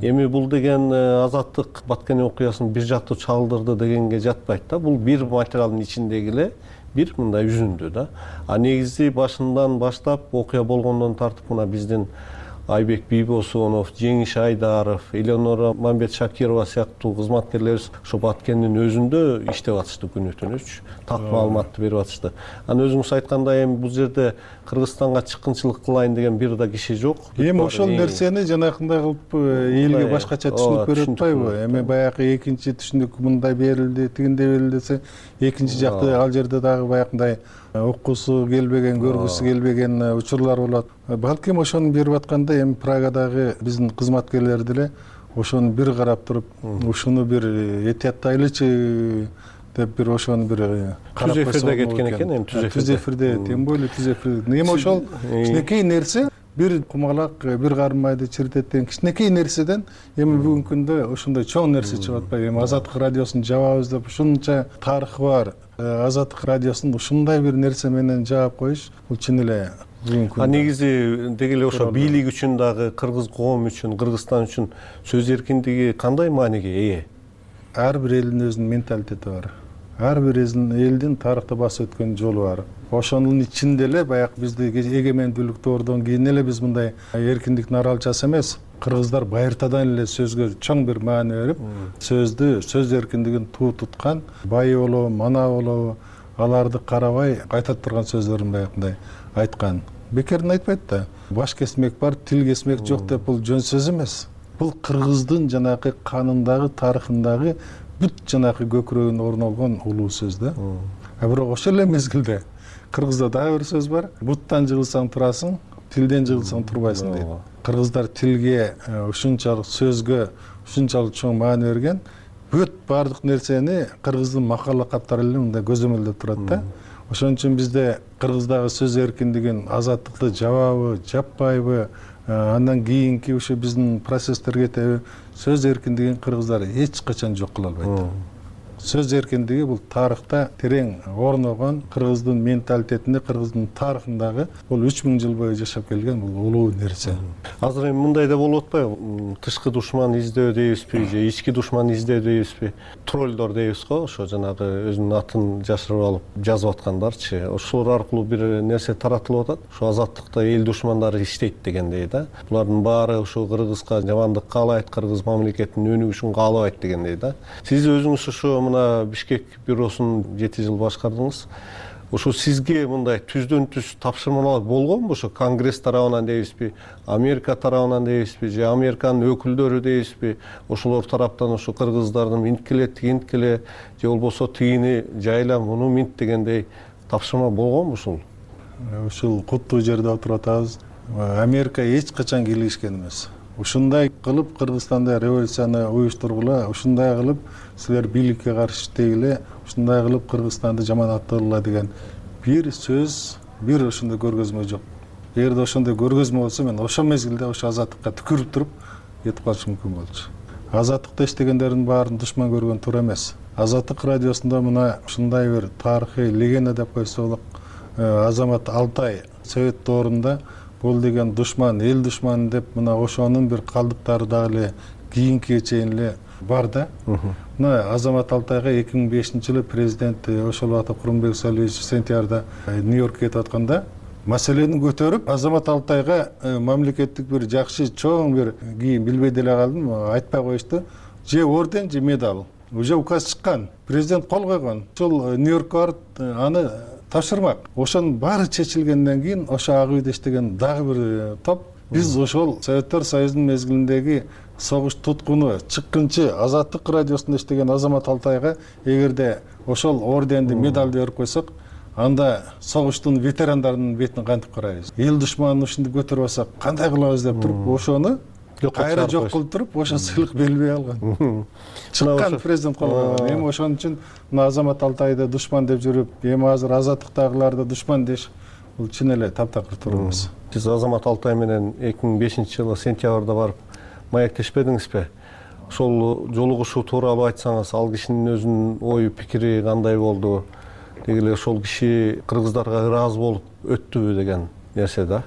Эми бул деген Азаттык Баткени окуясын бир жактуу чагылдырды дегенге жатпайт да. Бул бир материалдын ичиндеги эле бир мындай үзүндү да. А негизи башынан баштап окуя болгондон тартып мына биздин Айбек Бийбосунов, Жеңиш Айдаров, Элеонора Мамбет Шакирова сыяктуу кызматкерлерибиз ошо Баткендин өзүндө иштеп атышты күнү түнүч, так маалыматты берип атышты. Анан өзүңүз айткандай эми бул жерде Кыргызстанга чыккынчылык кылайын деген бир да киши жок. Эми ошол нерсени жанакындай кылып элге башкача түшүнүп берип атпайбы? Эми баягы экинчи түшүнүк мындай берилди, тигиндей берилди десе, экинчи жакты ал жерде дагы баягындай окуусу келбеген, көргүсү келбеген учурлар болот. Балким ошону берип атканда эми Прагадагы биздин кызматкерлер деле ошону бир карап туруп, ушуну бир этияттайлычы деп бир ошону бир карап түз эфирде кеткен экен, эми түз эфирде тем более түз эфирде. Эми ошол кичинекей нерсе бир кумалак бир карын майды чиритет деген кичинекей нерседен эми бүгүнкү күндө ушундай чоң нерсе чыгып атпайбы. Эми Азаттык радиосун жабабыз деп ушунча тарыхы бар Азаттык радиосун ушундай бир нерсе менен жаап коюш бул чын эле негизи деги эле ошо бийлик үчүн дагы кыргыз коому үчүн, Кыргызстан үчүн сөз эркиндиги кандай мааниге ээ? Ар бир элдин өзүнүн менталитети бар. Ар бир элдин тарыхта басып өткөн жолу бар. Ошонун ичинде эле баягы бизде эгемендүүлүктөрдөн кийин эле биз мындай эркиндиктин аралчасы эмес. Кыргыздар байыртадан эле сөзгө чоң бир маани берип, сөз эркиндигин туу туткан, бай болобу, мана болобу, аларды карабай айтат турган сөздөрүн баягындай айткан. Бекерден айтпайт да. Баш кесмек бар, тил кесмек жок деп бул жөн сөз эмес. Бул кыргыздын жанагы канындагы, тарыхындагы бүт жанагы көкүрөгүнө орнолгон улуу сөз да. Бирок ошол эле мезгилде кыргызда дагы бир сөз бар. Буттан жыгылсаң турасың, тилден жыгылсаң турбайсың дейт. Кыргыздар тилге ушунчалык сөзгө ушунчалык чоң маани берген. Бүт баардык нерсени кыргыздын макал лакаптары эле мындай көзөмөлдөп турат да. Ошон үчүн бизде кыргыздагы сөз эркиндигин, азаттыкты жабабы, жаппайбы, андан кийинки ушу биздин процесстерге кетеби, сөз эркиндигин кыргыздар эч качан жок кыла албайт. Сөз эркиндиги бул тарыхта терең орногон, кыргыздын менталитетинде, кыргыздын тарыхындагы бул 3000 жыл бою жашап келген бул улуу нерсе. Азыр эми мындай да болуп атпайбы? Тышкы душман издөө дейбизби же ички душман издөө дейбизби? Троллдор дейбиз го, ошо жанагы өзүнүн атын жашырып алып жазып аткандарчы. Ошолор аркылуу бир нерсе таратылып атат. Ошо азаттыкта эл душмандары иштейт дегендей да. Булардын баары ошо Кыргызга жамандык каалайт, кыргыз мамлекетинин өнүгүшүн каалабайт дегендей да. Сиз өзүңүз ошо мына Бишкек бюросун 7 жыл башкардыңыз. Ошо сизге мындай түздөн түз тапшырмалар болгонбу? Ошо Конгресс тарабынан дейбизби, Америка тарабынан дейбизби, же Американын өкүлдөрү дейбизби? Ошолор тараптан ошо кыргыздардын минткиле, тигинткиле, же болбосо тигини жайла, муну минт дегендей тапшырма болгонбу ушул? Ушул куттуу жерде отуруп атабыз. Америка эч качан кийлигишкен эмес. Ушундай кылып Кыргызстанда революцияны уюштургула, ушундай кылып силер бийликке каршы иштегиле, ушундай кылып Кыргызстанды жаман аттыргыла деген бир сөз, бир ошондой көргөзмө жок. Эгерде ошондой көргөзмө болсо, мен ошол мезгилде ошо азаттыкка түкүрүп туруп кетип калышым мүмкүн болчу. Азаттыкта иштегендердин баарын душман көргөн туура эмес. Азаттык радиосунда мына ушундай бир тарыхый легенда деп койсо болот. Азамат Алтай Совет доорунда бул деген душман, эл душманы деп мына ошонун бир калдыктары дагы эле кийинкиге чейин эле бар да. Мына Азамат Алтайга 2005-жылы президент Ошолбатов Курманбек Салиевич сентябрда Нью-Йоркке кетип атканда маселени көтөрүп, Азамат Алтайга мамлекеттик бир жакшы чоң бир кийин билбей деле калдым, айтпай коюшту. Же орден, же медаль. Уже указ чыккан, президент кол койгон. Ошол Нью-Йоркко барып аны тапшырмак. Ошонун баары чечилгенден кийин ошо ак үйдө иштеген дагы бир топ биз ошол Советтер Союзунун мезгилиндеги согуш туткуну, чыккынчы Азаттык радиосунда иштеген Азамат Алтайга эгерде ошол орденди, медалды берип койсок, анда согуштун ветерандарынын бетине кантип карайбыз? Эл душманын ушинтип көтөрүп алсак, кандай кылабыз деп туруп, ошону кайра жок кылып туруп, ошо сыйлык берилбей алган. Чыккан президент кол койгон. Эми ошон үчүн мына Азамат Алтайды душман деп жүрүп, эми азыр азаттыктагыларды душман деш, бул чын эле таптакыр туура эмес. Сиз Азамат Алтай менен 2005-жылы сентябрда барып маектешпедиңизби? Ошол жолугушуу тууралуу айтсаңыз, ал кишинин өзүнүн ою пикири кандай болду? Деги эле ошол киши кыргыздарга ыраазы болуп өттүбү деген нерсе да.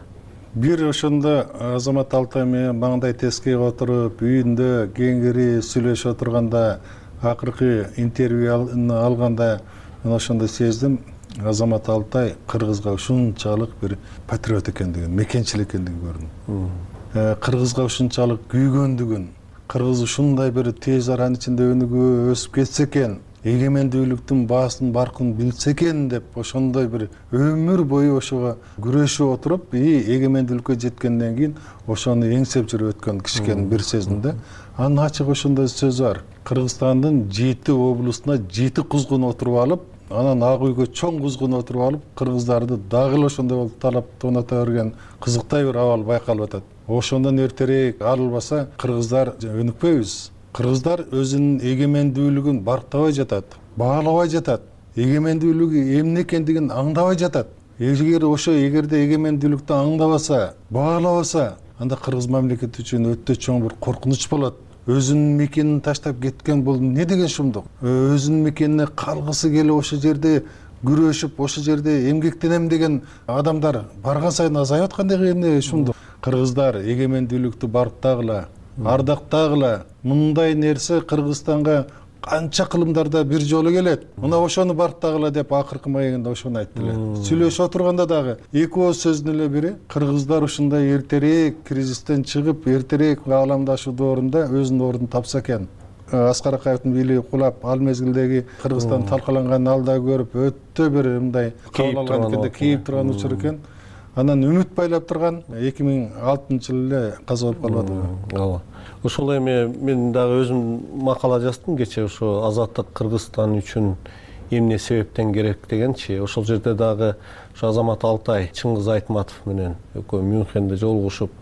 Бир ошондо Азамат Алтай менен маңдай тескейге отуруп, үйүндө кеңири сүйлөшүп отурганда, акыркы интервью алганда мен ошондо сездим, Азамат Алтай кыргызга ушунчалык бир патриот экендигин, мекенчил экендигин көрдүм. Кыргызга ушунчалык күйгөндүгүн, кыргыз ушундай бир тез аранын ичинде өнүгүп өсүп кетсе экен, эгемендүүлүктүн баасын баркын билсе экен деп ошондой бир өмүр бою ошого күрөшүп отуруп, эгемендүүлүккө жеткенден кийин ошону эңсеп жүрүп өткөн киши экенин бир сездим да. Анын ачык ошондой сөзү бар. Кыргызстандын 7 облусуна 7 кузгун отуруп алып, анан ак үйгө чоң кузгун отуруп алып, кыргыздарды дагы эле ошондой болуп талап тонато берген кызыктай бир абал байкалып атат. Ошондон эртерээк арылбаса, кыргыздар өнүкпөйбүз. Кыргыздар өзүнүн эгемендүүлүгүн барктабай жатат, баалабай жатат. Эгемендүүлүгү эмне экендигин аңдабай жатат. эгерде эгемендүүлүктү аңдабаса, баалабаса, анда кыргыз мамлекети үчүн өтө чоң бир коркунуч болот. Өзүнүн мекенин таштап кеткен бул не деген шумдук? Өзүнүн мекенине калгысы келип ошол жерде күрөшүп, ошол жерде эмгектенем деген адамдар барган сайын азайып аткандай эмне шумдук? Кыргыздар эгемендүүлүктү барктагыла, ардактагыла. Мындай нерсе Кыргызстанга канча кылымдарда бир жолу келет. Мына ошону барктагыла деп акыркы маегинде ошону айтты эле. Сүйлөшүп отурганда дагы эки ооз сөздүн эле бири кыргыздар ушундай эртерээк кризистен чыгып, эртерээк ааламдашуу доорунда өзүнүн ордун тапса экен. Аскар Акаевдин бийлиги кулап, ал мезгилдеги Кыргызстан талкаланганын алда көрүп, өтө бир мындай кабыл алган экенде, кейип турган учур экен. Анан үмүт байлап турган 2006-жылы эле каза болуп калбадыбы? Ооба. Ошол эми мен дагы өзүм макала жаздым кечээ, ошо азаттык Кыргызстан үчүн эмне себептен керек дегенчи. Ошол жерде дагы ошо Азамат Алтай Чыңгыз Айтматов менен экөө Мюнхенде жолугушуп,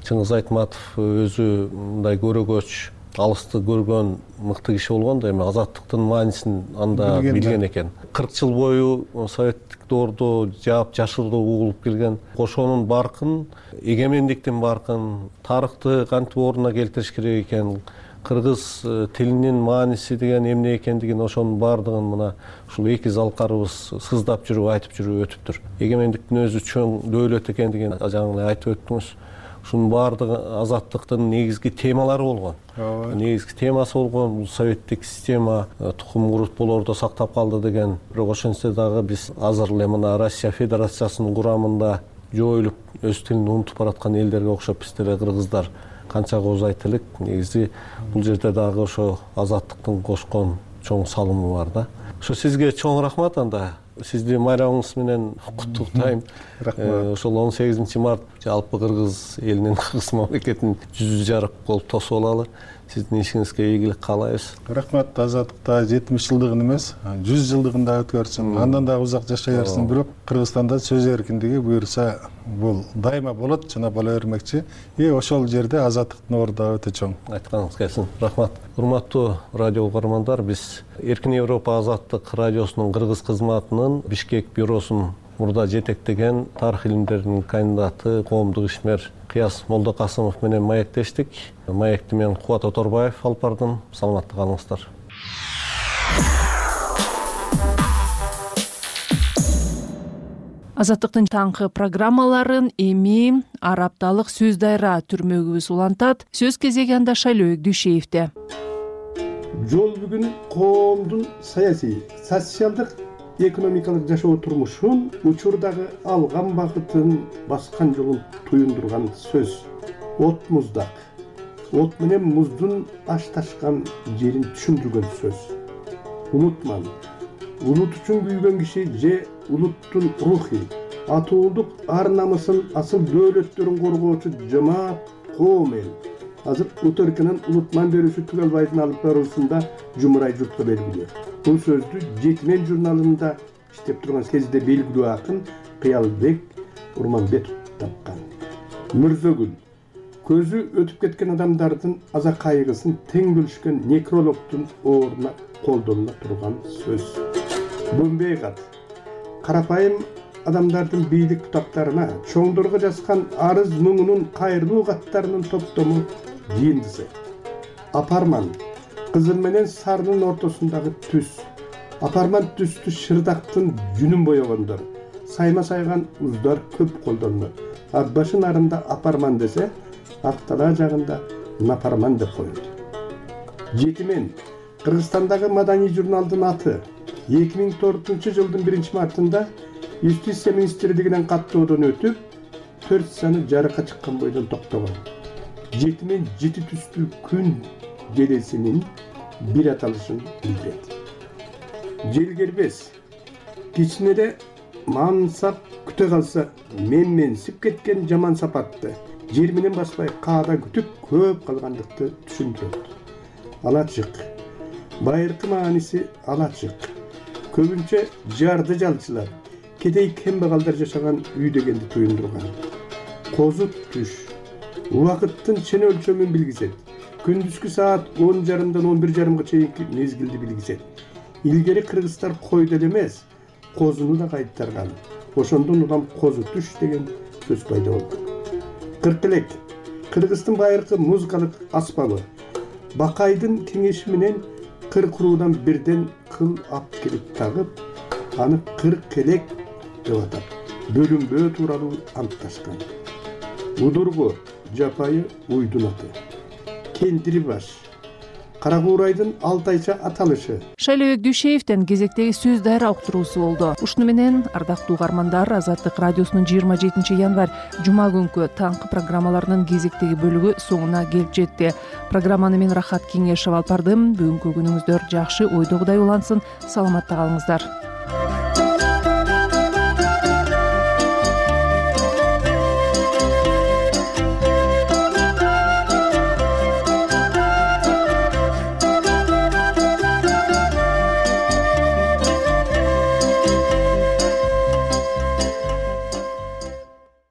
Чыңгыз Айтматов өзү мындай көрөгөч, алысты көргөн мыкты киши болгон да, эми азаттыктын маанисин анда билген экен. 40 жыл бою советтик доордо жаап жашырдуу угулуп келген. Ошонун баркын, эгемендиктин баркын, тарыхты кантип ордуна келтириш керек экен, кыргыз тилинин мааниси деген эмне экендигин, ошонун баардыгын мына ушул эки залкарыбыз сыздап жүрүп айтып жүрүп өтүптүр. Эгемендиктин өзү чоң дөөлөт экендигин жаңы эле айтып өттүңүз. Ушунун баардыгы азаттыктын негизги темалары болгон. Негизги темасы болгон бул советтик система тукум курут болордо сактап калды деген. Бирок ошентсе дагы биз азыр эле мына Россия Федерациясынын курамында жоюлуп өз тилин унутуп бараткан элдерге окшоп биз деле кыргыздар канча кооз айтылык. Негизи бул жерде дагы ошо азаттыктын кошкон чоң салымы бар да. Ошо сизге чоң рахмат. Анда сизди майрамыңыз менен куттуктайм. Ошол 18 март жалпы кыргыз элинин, кыргыз мамлекетинин 100 жарык болуп тосуп алалы. Сиздин ишиңизге ийгилик каалайбыз. Рахмат. Азаттыкта 70 жылдыгын эмес, 100 жылдыгын да өткөрсүн. Андан дагы узак жашай берсин. Бирок Кыргызстанда сөз эркиндиги буюрса бул дайыма болот, жана боло бермекчи. Ошол жерде азаттыктын орду өтө чоң. Айтканыңыз келсин. Рахмат. Урматтуу радио угармандар, биз Эркин Европа азаттык радиосунун кыргыз кызматынын Бишкек бюросун мурда жетектеген тарых илимдеринин кандидаты, коомдук ишмер Кыяз Молдокасымов менен маектештик. Маекти мен Кубат Оторбаев алып бардым. Саламатта калыңыздар. Азаттыктын таңкы программаларын эми ар апталык сөз дайра түрмөгүбүз улантат. Сөз кезеги анда Шайлөөк Дүйшеевде. Жол бүгүн коомдун саясий, социалдык, экономикалык жашоо турмушун учурдагы алган багытын, баскан жолун туюндурган сөз. От муздак, от менен муздун ашташкан жерин түшүндүргөн сөз. Унутман, улут үчүн күйгөн киши же улуттун рухи, атуулдук ар намысын, асыл дөөлөттөрүн коргоочу жамаат коом эл. Азыр Уторкинин унутман берүүсү Түгөлбайдын алып баруусунда жумурай журтка белгилүү. Бул сөздү Жетимен журналында иштеп турган кезде белгилүү акын Кыялбек Урманбетов тапкан. Мүрзөгүл көзү өтүп кеткен адамдардын аза кайгысын тең бөлүшкөн некрологдун ордуна колдонула турган сөз. Бөмбейгат карапайым адамдардын бийлик бутактарына, чоңдорго жазган арыз муңунун кайрылуу каттарынын топтому жыйындысы. Апарман кызыл менен сарынын ортосундагы түс. Апарман түстү шырдактын жүнүн боёгондор. Сайма сайган уздар көп колдонулат. Атбашын арында апарман десе, Актала жагында напарман деп коет. Жетимен Кыргызстандагы маданий журналдын аты 2004-жылдын 1-мартында Юстиция министрлигинен каттоодон өтүп, 4 саны жарыкка чыккан бойдон токтогон. Жетимен жети түстүү күн желесинин бир аталышын билдирет. Желгербес кичинеде мансап күтө калса, менсип кеткен жаман сапатты жер менен баспай каада күтүп көп калгандыкты түшүндүрөт. Алачык байыркы мааниси алачык. Көбүнчө жарды жалчылар, кедей кембагалдар жашаган үй дегенди туюндурган. Козут түш убакыттын чен өлчөмүн билгизет. Күндүзгү саат 10:30-дан 11:30-га чейинки мезгилди билгизет. Илгери кыргыздар койду эле эмес, козуну да кайтарган. ошондон улам козу түш деген сөз пайда болду. Кыркелек Кыргыздын байыркы музыкалык аспабы. Бакайдын кеңеши менен кыркуруудан бирден кыл ап келип тагып, аны кыркелек деп атап, бөлүнбөө тууралуу антташкан. Удургу жапайы уйдун аты. Кендири баш. Кара куурайдын алтайча аталышы. Шайлообек Дүйшеевден кезектеги сөз дайра уктуруусу болду. Ушуну менен ардактуу угармандар, Азаттык радиосунун 27 январь жума күнкү таңкы программаларынын кезектеги бөлүгү соңуна келип жетти. Программаны мен Рахат Кеңешев алып бардым. Бүгүнкү күнүңүздөр жакшы, ойдогудай улансын. Саламатта калыңыздар.